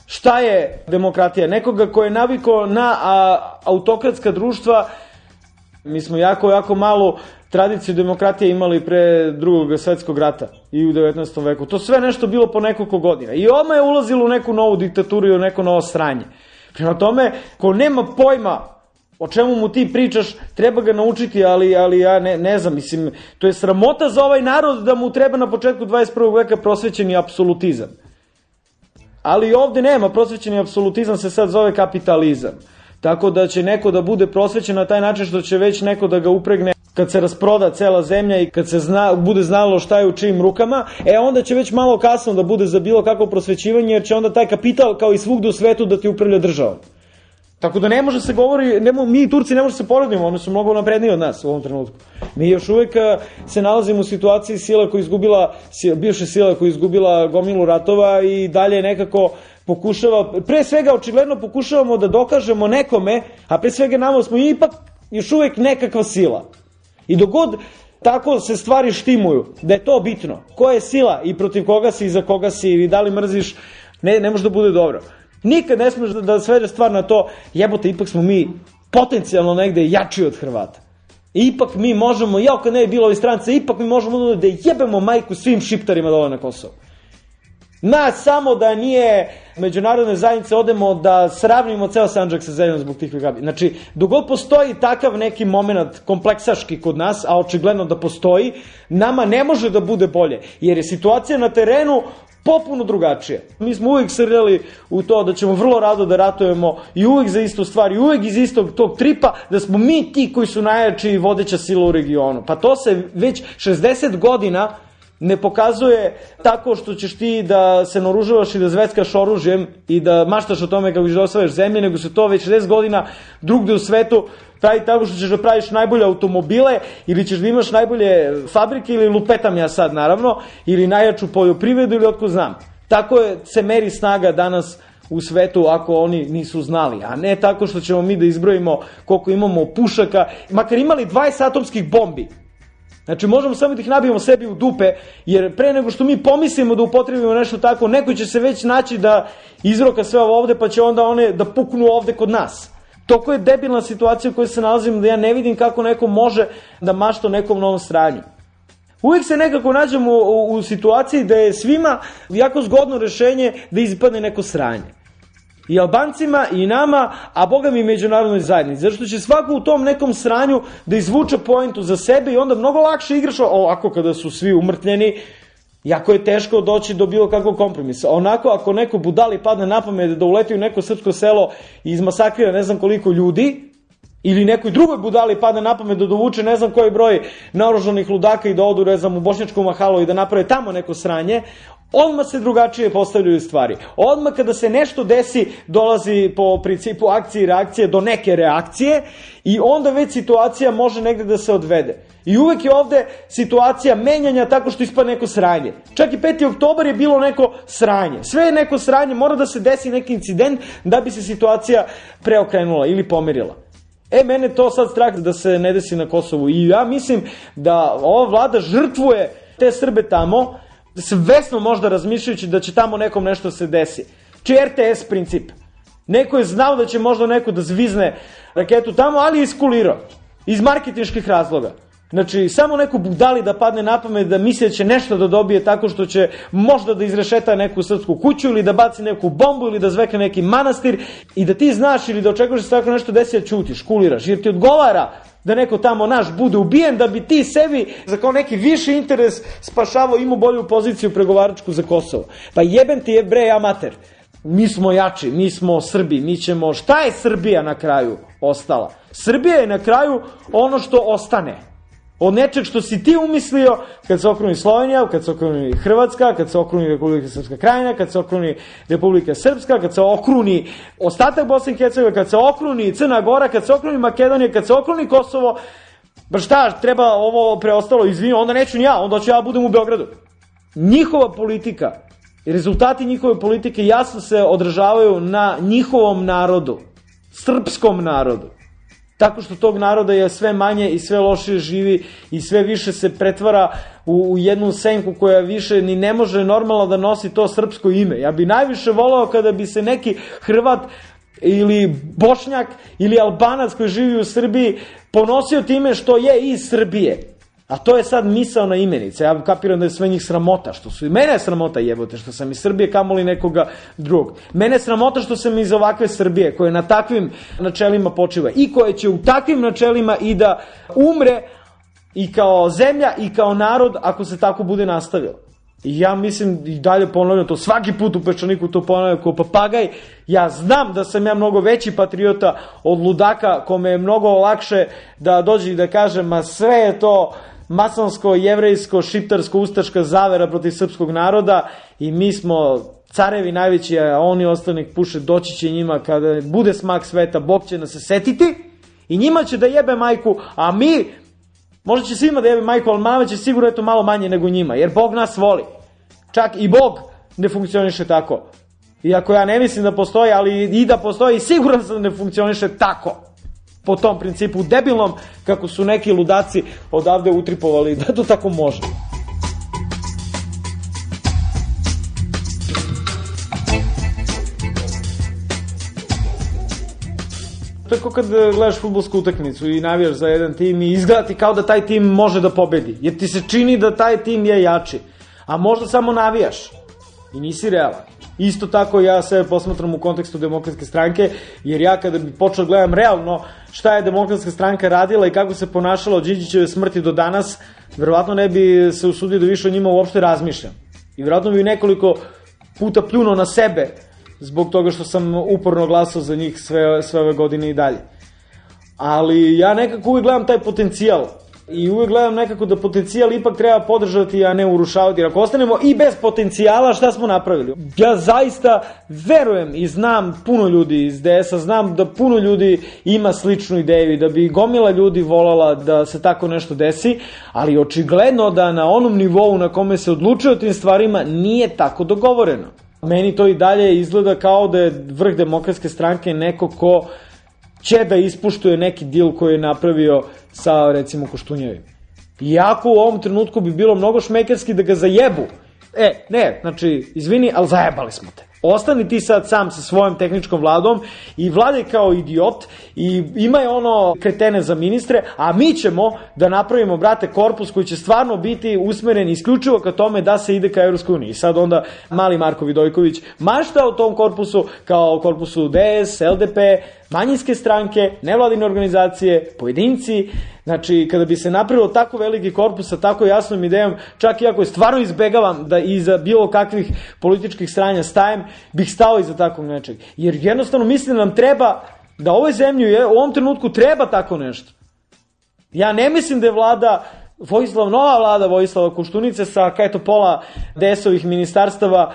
Speaker 13: šta je demokratija. Nekoga ko je navikao na a, autokratska društva. Mi smo jako, jako malu tradiciju demokratije imali pre drugog svetskog rata i u devetnaestom veku. To sve nešto bilo po nekoliko godina. I odmah je ulazilo u neku novu diktaturu i u neko novo sranje. Prema tome, ko nema pojma o čemu mu ti pričaš, treba ga naučiti, ali, ali ja ne, ne znam, mislim, to je sramota za ovaj narod da mu treba na početku dvadeset prvog veka prosvećeni apsolutizam. Ali ovde nema, prosvećeni apsolutizam se sad zove kapitalizam. Tako da će neko da bude prosvećen na taj način što će već neko da ga upregne kad se rasproda cela zemlja i kad se zna, bude znalo šta je u čijim rukama, e onda će već malo kasno da bude za bilo kakvo prosvećivanje, jer će onda taj kapital kao i svugde u svetu da ti upravlja državom. Tako da ne može se govori, ne, mi i Turci ne može se poredimo, oni su mnogo napredniji od nas u ovom trenutku. Mi još uvek se nalazimo u situaciji sila koja izgubila, bivše sila koja izgubila gomilu ratova i dalje nekako pokušava, pre svega očigledno pokušavamo da dokažemo nekome, a pre svega nama smo ipak još uvek nekakva sila. I dok god tako se stvari štimuju, da je to bitno, ko je sila i protiv koga si i za koga si i da li mrziš, ne, ne može da bude dobro. Nikad ne smiješ da, da svede stvar na to, jebote, ipak smo mi potencijalno negde jači od Hrvata. Ipak mi možemo, jao kad ne je bilo ovi strance, ipak mi možemo da jebemo majku svim šiptarima dole na Kosovo. Nas samo da nije međunarodne zajednice odemo da sravnimo ceo Sandžak sa zemljom zbog tih gabi. Znači, dok god postoji takav neki moment kompleksaški kod nas, a očigledno da postoji, nama ne može da bude bolje, jer je situacija na terenu popuno drugačije. Mi smo uvijek srljali u to da ćemo vrlo rado da ratujemo i uvijek za istu stvar i uvijek iz istog tog tripa da smo mi ti koji su najjači i vodeća sila u regionu. Pa to se već šezdeset godina ne pokazuje tako što ćeš ti da se naoružavaš i da zveckaš oružjem i da maštaš o tome kako ćeš da osvajaš zemlje, nego se to već šezdeset godina drugde u svetu pravi tako što ćeš da praviš najbolje automobile ili ćeš da imaš najbolje fabrike ili lupetam ja sad naravno, ili najjaču poljoprivredu ili otko znam. Tako je, se meri snaga danas u svetu ako oni nisu znali, a ne tako što ćemo mi da izbrojimo koliko imamo pušaka, makar imali dvadeset atomskih bombi. Znači možemo samo da ih nabijemo sebi u dupe, jer pre nego što mi pomislimo da upotrebimo nešto tako, neko će se već naći da izroka sve ovo ovde, pa će onda one da puknu ovde kod nas. Toko je debilna situacija u kojoj se nalazimo da ja ne vidim kako neko može da mašta o nekom novom sranju. Uvijek se nekako nađemo u, u situaciji da je svima jako zgodno rešenje da ispadne neko sranje. I Albancima, i nama, a boga mi i međunarodnoj zajednici. Zato što će svako u tom nekom sranju da izvuče pointu za sebe i onda mnogo lakše igraš ovako kada su svi umrtljeni. Jako je teško doći do bilo kakvog kompromisa. Onako, ako neko budali padne na pamet da uleti u neko srpsko selo i izmasakrira ne znam koliko ljudi, ili nekoj drugoj budali padne na pamet da dovuče ne znam koji broj naoružanih ludaka i da odu, ne znam, u Bošnjačku Mahalu i da naprave tamo neko sranje, odmah se drugačije postavljaju stvari. Odmah kada se nešto desi, dolazi po principu akcije i reakcije do neke reakcije i onda već situacija može negde da se odvede. I uvek je ovde situacija menjanja tako što ispada neko sranje. Čak i peti oktobar je bilo neko sranje. Sve je neko sranje, mora da se desi neki incident da bi se situacija preokrenula ili pomerila. E, mene to sad strah da se ne desi na Kosovu. I ja mislim da ova vlada žrtvuje te Srbe tamo, svesno možda razmišljajući da će tamo nekom nešto se desi. Či R T S princip. Neko je znao da će možda neko da zvizne raketu tamo, ali je iskulirao. Iz marketinških razloga. Znači, samo neku budali da padne na pamet da misli da će nešto da dobije tako što će možda da izrešeta neku srpsku kuću ili da baci neku bombu ili da zvekne neki manastir i da ti znaš ili da očekuješ da se tako nešto desi, da ćutiš, kuliraš, jer ti odgovara da neko tamo naš bude ubijen, da bi ti sebi za kao neki viši interes spašavao, imao bolju poziciju pregovaračku za Kosovo. Pa jebem ti jebrej amater. Mi smo jači, mi smo Srbi, mi ćemo... Šta je Srbija na kraju ostala? Srbija je na kraju ono što ostane. Od nečeg što si ti umislio kad se okruni Slovenija, kad se okruni Hrvatska, kad se okruni Republika Srpska Krajina, kad se okruni Republika Srpska, kad se okruni ostatak Bosne i Hercegovine, kad se okruni Crna Gora, kad se okruni Makedonija, kad se okruni Kosovo. Ba šta, treba ovo preostalo, izvini, onda neću ni ja, onda ću ja budem u Beogradu. Njihova politika i rezultati njihove politike jasno se odražavaju na njihovom narodu, srpskom narodu. Tako što tog naroda je sve manje i sve lošije živi i sve više se pretvara u, u jednu senku koja više ni ne može normalno da nosi to srpsko ime. Ja bi najviše volao kada bi se neki Hrvat ili Bošnjak ili Albanac koji živi u Srbiji ponosio time što je iz Srbije. A to je sad misaona imenica. Ja kapiram da je sve njih sramota, što su i mene je sramota jebote, što sam iz Srbije kamoli nekoga drugog. Mene je sramota što sam iz ovakve Srbije, koja na takvim načelima počiva i koja će u takvim načelima i da umre i kao zemlja i kao narod ako se tako bude nastavilo. I ja mislim, i dalje ponavljam to, svaki put u Peščaniku to ponavljam kao papagaj, ja znam da sam ja mnogo veći patriota od ludaka kome je mnogo lakše da dođe i da kaže, ma sve je to masonsko, jevrejsko, šiptarsko, ustaška zavera protiv srpskog naroda i mi smo carevi najveći, a oni ostali puše, doći će njima kada bude smak sveta, Bog će nas se setiti i njima će da jebe majku, a mi, možda će svima da jebe majku, ali mama će sigurno eto malo manje nego njima, jer Bog nas voli. Čak i Bog ne funkcioniše tako. Iako ja ne mislim da postoji, ali i da postoji, siguran sam da ne funkcioniše tako. Po tom principu debilnom, kako su neki ludaci odavde utripovali da to tako može. To je kao kad gledaš fudbalsku utakmicu i navijaš za jedan tim i izgleda ti kao da taj tim može da pobedi. Jer ti se čini da taj tim je jači. A možda samo navijaš i nisi realan. Isto tako ja sebe posmatram u kontekstu Demokratske stranke, jer ja kada bi počeo gledam realno šta je Demokratska stranka radila i kako se ponašala od Đinđićeve smrti do danas, verovatno ne bi se usudio da više o njima uopšte razmišljam. I verovatno bi nekoliko puta pljunuo na sebe zbog toga što sam uporno glasao za njih sve, sve ove godine i dalje. Ali ja nekako uvijek gledam taj potencijal i uvijek gledam nekako da potencijal ipak treba podržati, a ne urušavati. Jer ako ostanemo i bez potencijala, šta smo napravili? Ja zaista verujem i znam puno ljudi iz D S-a, znam da puno ljudi ima sličnu ideju i da bi gomila ljudi volala da se tako nešto desi, ali očigledno da na onom nivou na kome se odlučuje o tim stvarima nije tako dogovoreno. Meni to i dalje izgleda kao da je vrh Demokratske stranke neko ko će da ispuštuje neki dil koji je napravio sa, recimo, Koštunjevim. Iako u ovom trenutku bi bilo mnogo šmekerski da ga zajebu. E, ne, znači, izvini, ali zajebali smo te. Ostani ti sad sam sa svojom tehničkom vladom i vladaj kao idiot i imaj ono kretene za ministre, a mi ćemo da napravimo, brate, korpus koji će stvarno biti usmeren isključivo ka tome da se ide ka Evropskoj uniji. I sad onda mali Marko Vidojković mašta o tom korpusu kao korpusu D S, L D P, manjinske stranke, nevladine organizacije, pojedinci. Znači, kada bi se napravilo tako veliki korpus sa tako jasnom idejom, čak i ako je stvarno izbegavam da iza bilo kakvih političkih stranja stajem, bih stao iza takvog nečeg. Jer jednostavno mislim da nam treba, da ovoj zemlji je, u ovom trenutku treba tako nešto. Ja ne mislim da je vlada, Vojislav, nova vlada Vojislava Koštunice sa kajeto pola D S-ovih ministarstava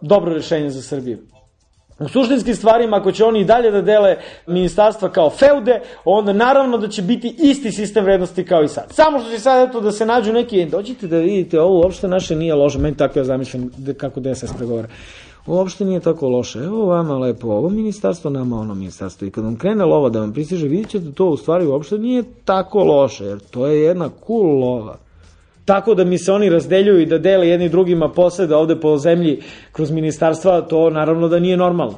Speaker 13: dobro rešenje za Srbiju. U suštinskim stvarima, ako će oni i dalje da dele ministarstva kao feude, onda naravno da će biti isti sistem vrednosti kao i sad. Samo što će sad eto da se nađu neki, dođite da vidite, ovo uopšte naše nije loše, meni tako ja zamišljam kako D S S pregovara. Uopšte nije tako loše, evo vama lepo ovo ministarstvo, nama ono ministarstvo. I kad vam krene lova da vam pristiže, vidjet ćete to u stvari uopšte nije tako loše, jer to je jedna cool lova. Tako da mi se oni razdeljuju i da dele jedni drugima posede ovde po zemlji kroz ministarstva, to naravno da nije normalno.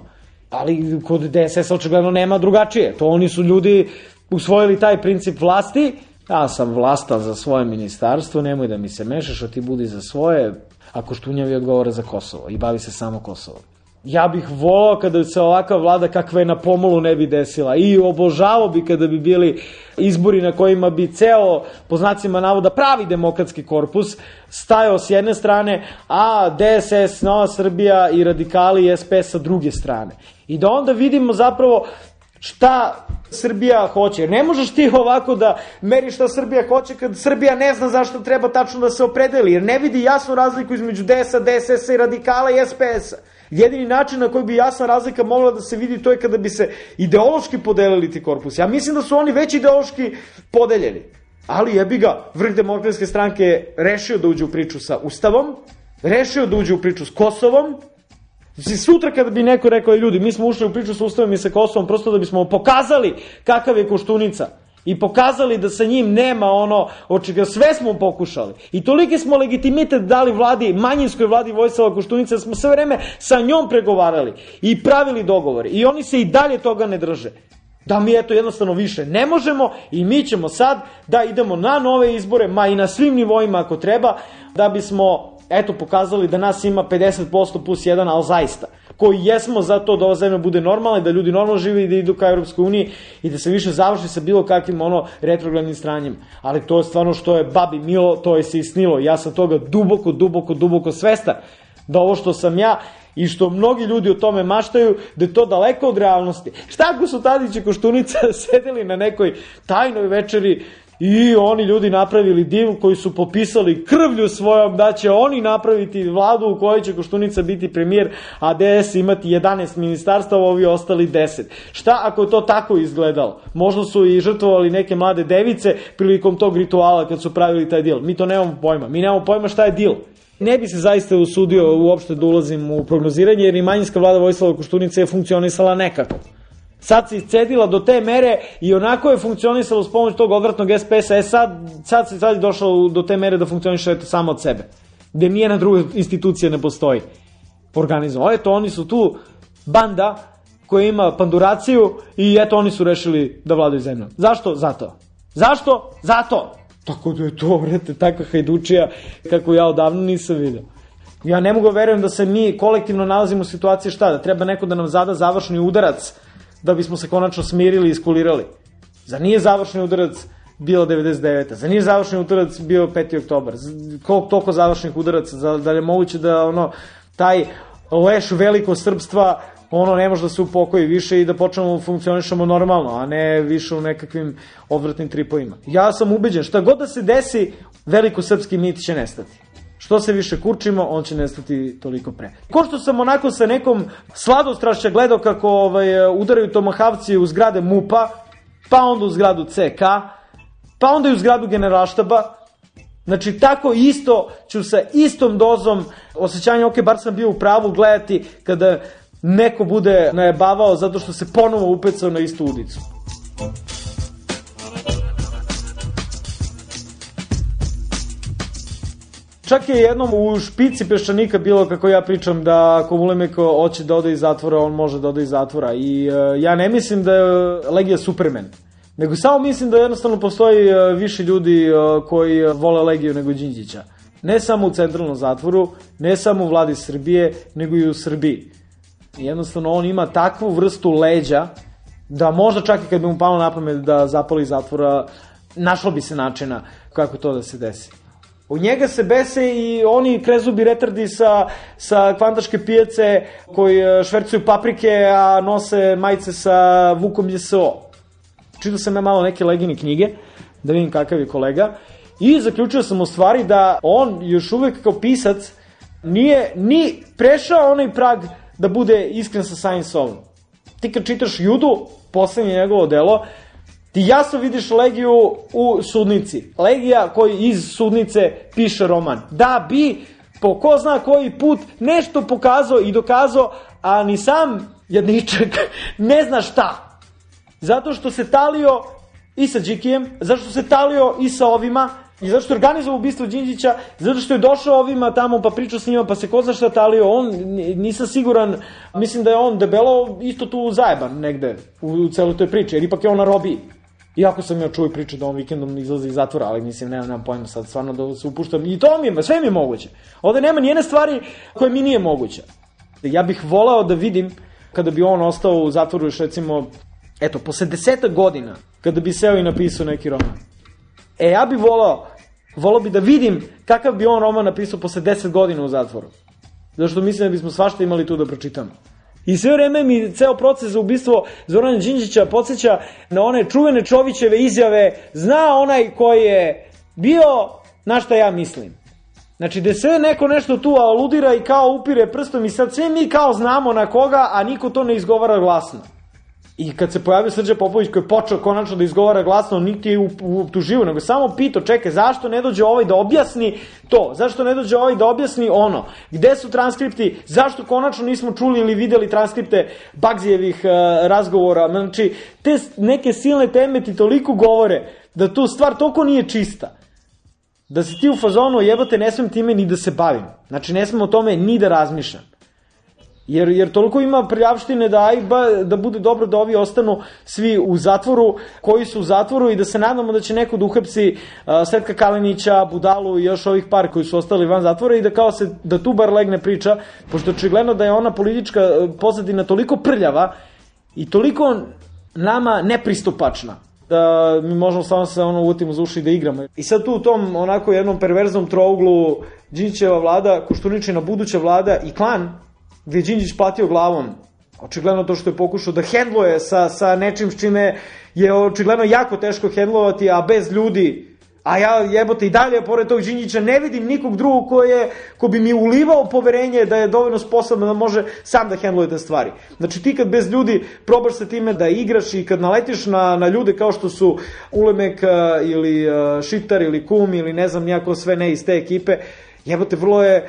Speaker 13: Ali kod D S S očigledno nema drugačije. To oni su ljudi usvojili taj princip vlasti Ja sam vlastan za svoje ministarstvo, nemoj da mi se mešaš, a ti budi za svoje, a Koštunjavi odgovara za Kosovo i bavi se samo Kosovo. Ja bih volao kada bi se ovakva vlada kakva je na pomolu ne bi desila i obožavao bi kada bi bili izbori na kojima bi ceo, po znacima navoda, pravi demokratski korpus stajao s jedne strane, a D S S, Nova Srbija i radikali i S P sa druge strane. I da onda vidimo zapravo šta Srbija hoće. Jer ne možeš ti ovako da meriš šta Srbija hoće kad Srbija ne zna zašto treba tačno da se opredeli, jer ne vidi jasnu razliku između D S A, D S S-a i radikala i S P S-a. Jedini način na koji bi jasna razlika mogla da se vidi to je kada bi se ideološki podelili ti korpusi. Ja mislim da su oni već ideološki podeljeni. Ali jebi ga, vrh Demokratske stranke je rešio da uđe u priču sa Ustavom, rešio da uđe u priču s Kosovom. Znači, sutra kada bi neko rekao, ljudi, mi smo ušli u priču sa Ustavom i sa Kosovom prosto da bismo pokazali kakav je Koštunica i pokazali da sa njim nema ono od čega sve smo pokušali. I toliki smo legitimitet dali vladi, manjinskoj vladi Vojislava Koštunice, da smo sve vreme sa njom pregovarali i pravili dogovore. I oni se i dalje toga ne drže. Da mi eto jednostavno više ne možemo i mi ćemo sad da idemo na nove izbore, ma i na svim nivoima ako treba, da bismo eto pokazali da nas ima pedeset posto plus jedan, ali zaista, koji jesmo za to da ova zemlja bude normalna i da ljudi normalno žive i da idu ka Europskoj uniji i da se više završi sa bilo kakvim ono retrogradnim stranjem. Ali to je stvarno što je babi milo, to je se i snilo. Ja sam toga duboko, duboko, duboko svestan da ovo što sam ja i što mnogi ljudi o tome maštaju, da je to daleko od realnosti. Šta ako su Tadić i Koštunica sedeli na nekoj tajnoj večeri i oni ljudi napravili div koji su popisali krvlju svojom da će oni napraviti vladu u kojoj će Koštunica biti premijer, a D S imati jedanaest ministarstava, ovi ostali deset. Šta ako je to tako izgledalo? Možda su i žrtvovali neke mlade device prilikom tog rituala kad su pravili taj dil. Mi to nemamo pojma. Mi nemamo pojma šta je dil. Ne bi se zaista usudio uopšte da ulazim u prognoziranje, jer i manjinska vlada Vojislava Koštunice je funkcionisala nekako. Sad se iscedila do te mere i onako je funkcionisalo s pomoć tog odvratnog S P S-a, e sad, sad se sad je došlo do te mere da funkcioniše eto samo od sebe. Gde nijedna druga institucija ne postoji organizovano. Eto, oni su tu banda koja ima panduraciju i eto, oni su rešili da vladaju zemljom. Zašto? Zato. Zašto? Zato. Tako da je to, vrete, takva hajdučija kako ja odavno nisam vidio. Ja ne mogu verujem da se mi kolektivno nalazimo u situaciji šta, da treba neko da nam zada završni udarac da bismo se konačno smirili i iskulirali. Zar nije završni udarac bilo devedeset devete. Zar nije završni udarac bio peti oktobar? Koliko toliko završnih udaraca? Da je moguće da ono, taj leš veliko srpstva ono ne može da se upokoji više i da počnemo funkcionišemo normalno, a ne više u nekakvim odvratnim tripovima. Ja sam ubeđen, šta god da se desi, veliko srpski mit će nestati. Što se više kurčimo, on će nestati toliko pre. Ko što sam onako sa nekom sladostrašća gledao kako ovaj, udaraju tomahavci u zgrade MUP-a, pa onda u zgradu C K, pa onda i u zgradu Generalštaba. Znači, tako isto ću sa istom dozom osjećanja, ok, bar sam bio u pravu, gledati kada neko bude najebavao zato što se ponovo upecao na istu udicu. Čak je jednom u špici Peščanika bilo kako ja pričam da ako Vulemeko hoće da ode iz zatvora, on može da ode iz zatvora. I uh, ja ne mislim da je Legija Superman, nego samo mislim da jednostavno postoji uh, više ljudi uh, koji vole Legiju nego Đinđića. Ne samo u centralnom zatvoru, ne samo u vladi Srbije, nego i u Srbiji. Jednostavno on ima takvu vrstu leđa da možda čak i kad bi mu palo na pamet da zapali iz zatvora, našlo bi se načina kako to da se desi. U njega se bese i oni krezubi retardi sa, sa kvantaške pijace koji švercuju paprike, a nose majice sa Vukom J S O. Čitao sam ja malo neke Legine knjige, da vidim kakav je kolega, i zaključio sam u stvari da on još uvek kao pisac nije ni prešao onaj prag da bude iskren sa samim sobom. Ti kad čitaš Judu, poslednje njegovo delo, ti jasno vidiš Legiju u sudnici. Legija koji iz sudnice piše roman. Da bi, po ko zna koji put, nešto pokazao i dokazao, a ni sam jadničak ne zna šta. Zato što se talio i sa Đikijem, zato što se talio i sa ovima, i zato što je organizovao ubistvo Đinđića, zato što je došao ovima tamo pa pričao s njima, pa se ko zna šta talio, on, nisam siguran, mislim da je on debelo isto tu zajeban negde u celoj toj priči, jer ipak je on na robiji. Iako sam ja čuo i priču da on vikendom izlazi iz zatvora, ali mislim, nema, nema pojma sad, stvarno da se upuštam. I to mi je, sve mi je moguće. Ovde nema nijedne stvari koje mi nije moguće. Ja bih volao da vidim, kada bi on ostao u zatvoru još recimo, eto, posle desetak godina, kada bi seo i napisao neki roman. E, ja bih volao, volao bi da vidim kakav bi on roman napisao posle deset godina u zatvoru. Zato što mislim da bismo svašta imali tu da pročitamo. I sve vreme mi ceo proces za ubistvo Zorana Đinđića podsjeća na one čuvene Čovićeve izjave, zna onaj koji je bio, na šta ja mislim. Znači, da sve neko nešto tu aludira i kao upire prstom i sad sve mi kao znamo na koga, a niko to ne izgovara glasno. I kad se pojavio Srđan Popović koji je počeo konačno da izgovara glasno, niti je optuživao, nego samo pitao, čekaj, zašto ne dođe ovaj da objasni to? Zašto ne dođe ovaj da objasni ono? Gde su transkripti? Zašto konačno nismo čuli ili videli transkripte Bagzijevih uh, razgovora? Znači, te neke silne teme ti toliko govore da tu stvar toliko nije čista. Da si ti u fazonu, jebote, ne smem time ni da se bavim. Znači, ne smem o tome ni da razmišljam. Jer, jer toliko ima prljavštine da, ajba, da bude dobro da ovi ostanu svi u zatvoru, koji su u zatvoru i da se nadamo da će neko da uhapsi uh, Svetka Kalinića, Budalu i još ovih par koji su ostali van zatvora i da kao se, da tu bar legne priča, pošto očigledno da je ona politička pozadina toliko prljava i toliko nama nepristupačna da mi možemo samo se ono uvotimo za uši da igramo. I sad tu u tom onako jednom perverznom trouglu Đinđićeva vlada, Koštuničina buduća vlada i klan, gde je Đinđić platio glavom, očigledno to što je pokušao da hendluje sa, sa nečim s čime je očigledno jako teško hendlovati, a bez ljudi, a ja jebote i dalje pored tog Đinđića ne vidim nikog drugog ko, je, ko bi mi ulivao poverenje da je dovoljno sposobno da može sam da hendluje te stvari. Znači ti kad bez ljudi probaš sa time da igraš i kad naletiš na, na ljude kao što su Ulemek ili Šitar ili Kum ili ne znam nijako sve ne iz te ekipe, jebote vrlo je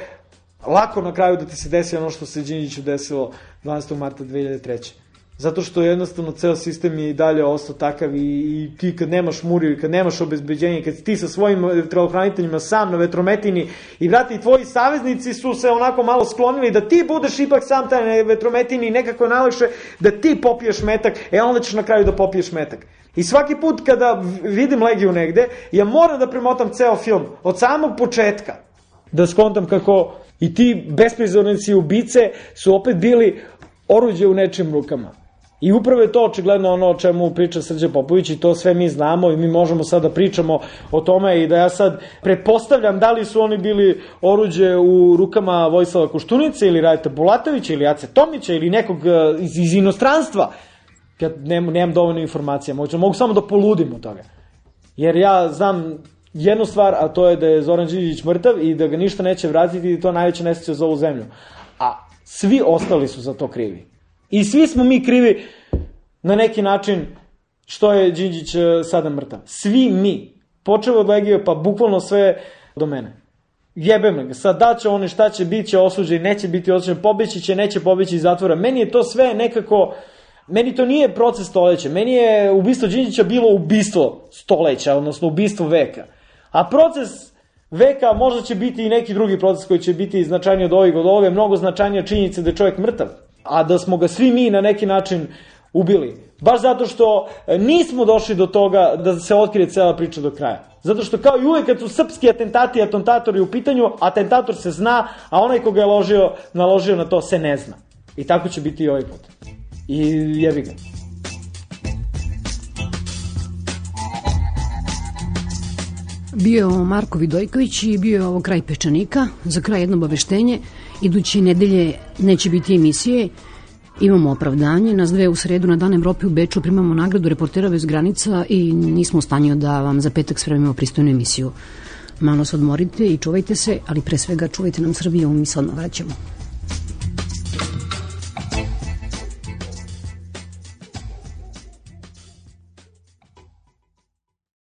Speaker 13: lako na kraju da ti se desi ono što se Đinđiću desilo dvanaestog marta dve hiljade treće. Zato što jednostavno ceo sistem je i dalje ostao takav i, i ti kad nemaš muriju i kad nemaš obezbeđenje, kad ti sa svojim telohraniteljima sam na vetrometini i vrati i tvoji saveznici su se onako malo sklonili da ti budeš ipak sam taj na vetrometini i nekako je najlakše da ti popiješ metak, e onda ćeš na kraju da popiješ metak. I svaki put kada vidim Legiju negde, ja moram da premotam ceo film od samog početka, da skontam kako i ti besprizornici ubice su opet bili oruđe u nečim rukama. I upravo je to očigledno ono o čemu priča Srđan Popović i to sve mi znamo i mi možemo sad da pričamo o tome i da ja sad pretpostavljam da li su oni bili oruđe u rukama Vojislava Koštunice ili Radeta Bulatovića ili Ace Tomića ili nekog iz, iz inostranstva. Ja nemam, nemam dovoljno informacija, mogu, mogu samo da poludim od toga. Jer ja znam jednu stvar, a to je da je Zoran Đinđić mrtav i da ga ništa neće vratiti i to najveće nesreće za ovu zemlju. A svi ostali su za to krivi. I svi smo mi krivi na neki način što je Đinđić sada mrtav. Svi mi. Počeo od Legije pa bukvalno sve do mene. Jebe me ga. Sad da će oni šta će, bit će osuđen, neće biti osuđen, pobeći će, neće pobeći iz zatvora. Meni je to sve nekako... Meni to nije proces stoleća. Meni je ubistvo Đinđića bilo ubistvo stoleća, odnosno ubistvo veka. A proces veka možda će biti i neki drugi proces koji će biti značajniji od ovih, od ove, mnogo značajnija činjenica da je čovjek mrtav. A da smo ga svi mi na neki način ubili. Baš zato što nismo došli do toga da se otkrije cela priča do kraja. Zato što kao i uvek kad su srpski atentati i atentatori u pitanju, atentator se zna, a onaj ko ga je ložio, naložio na to se ne zna. I tako će biti i ovaj put. I jebi ga.
Speaker 8: Bio je ovo Marko Vidojković i bio je ovo Kraj Pečanika. Za kraj jedno obaveštenje. Iduće nedelje neće biti emisije. Imamo opravdanje. Nas dve u sredu na Dan Evrope u Beču primamo nagradu Reportera bez granica i nismo u stanju da vam za petak spremimo pristojnu emisiju. Malo se odmorite i čuvajte se, ali pre svega čuvajte nam Srbiju, mi se odmah vraćamo.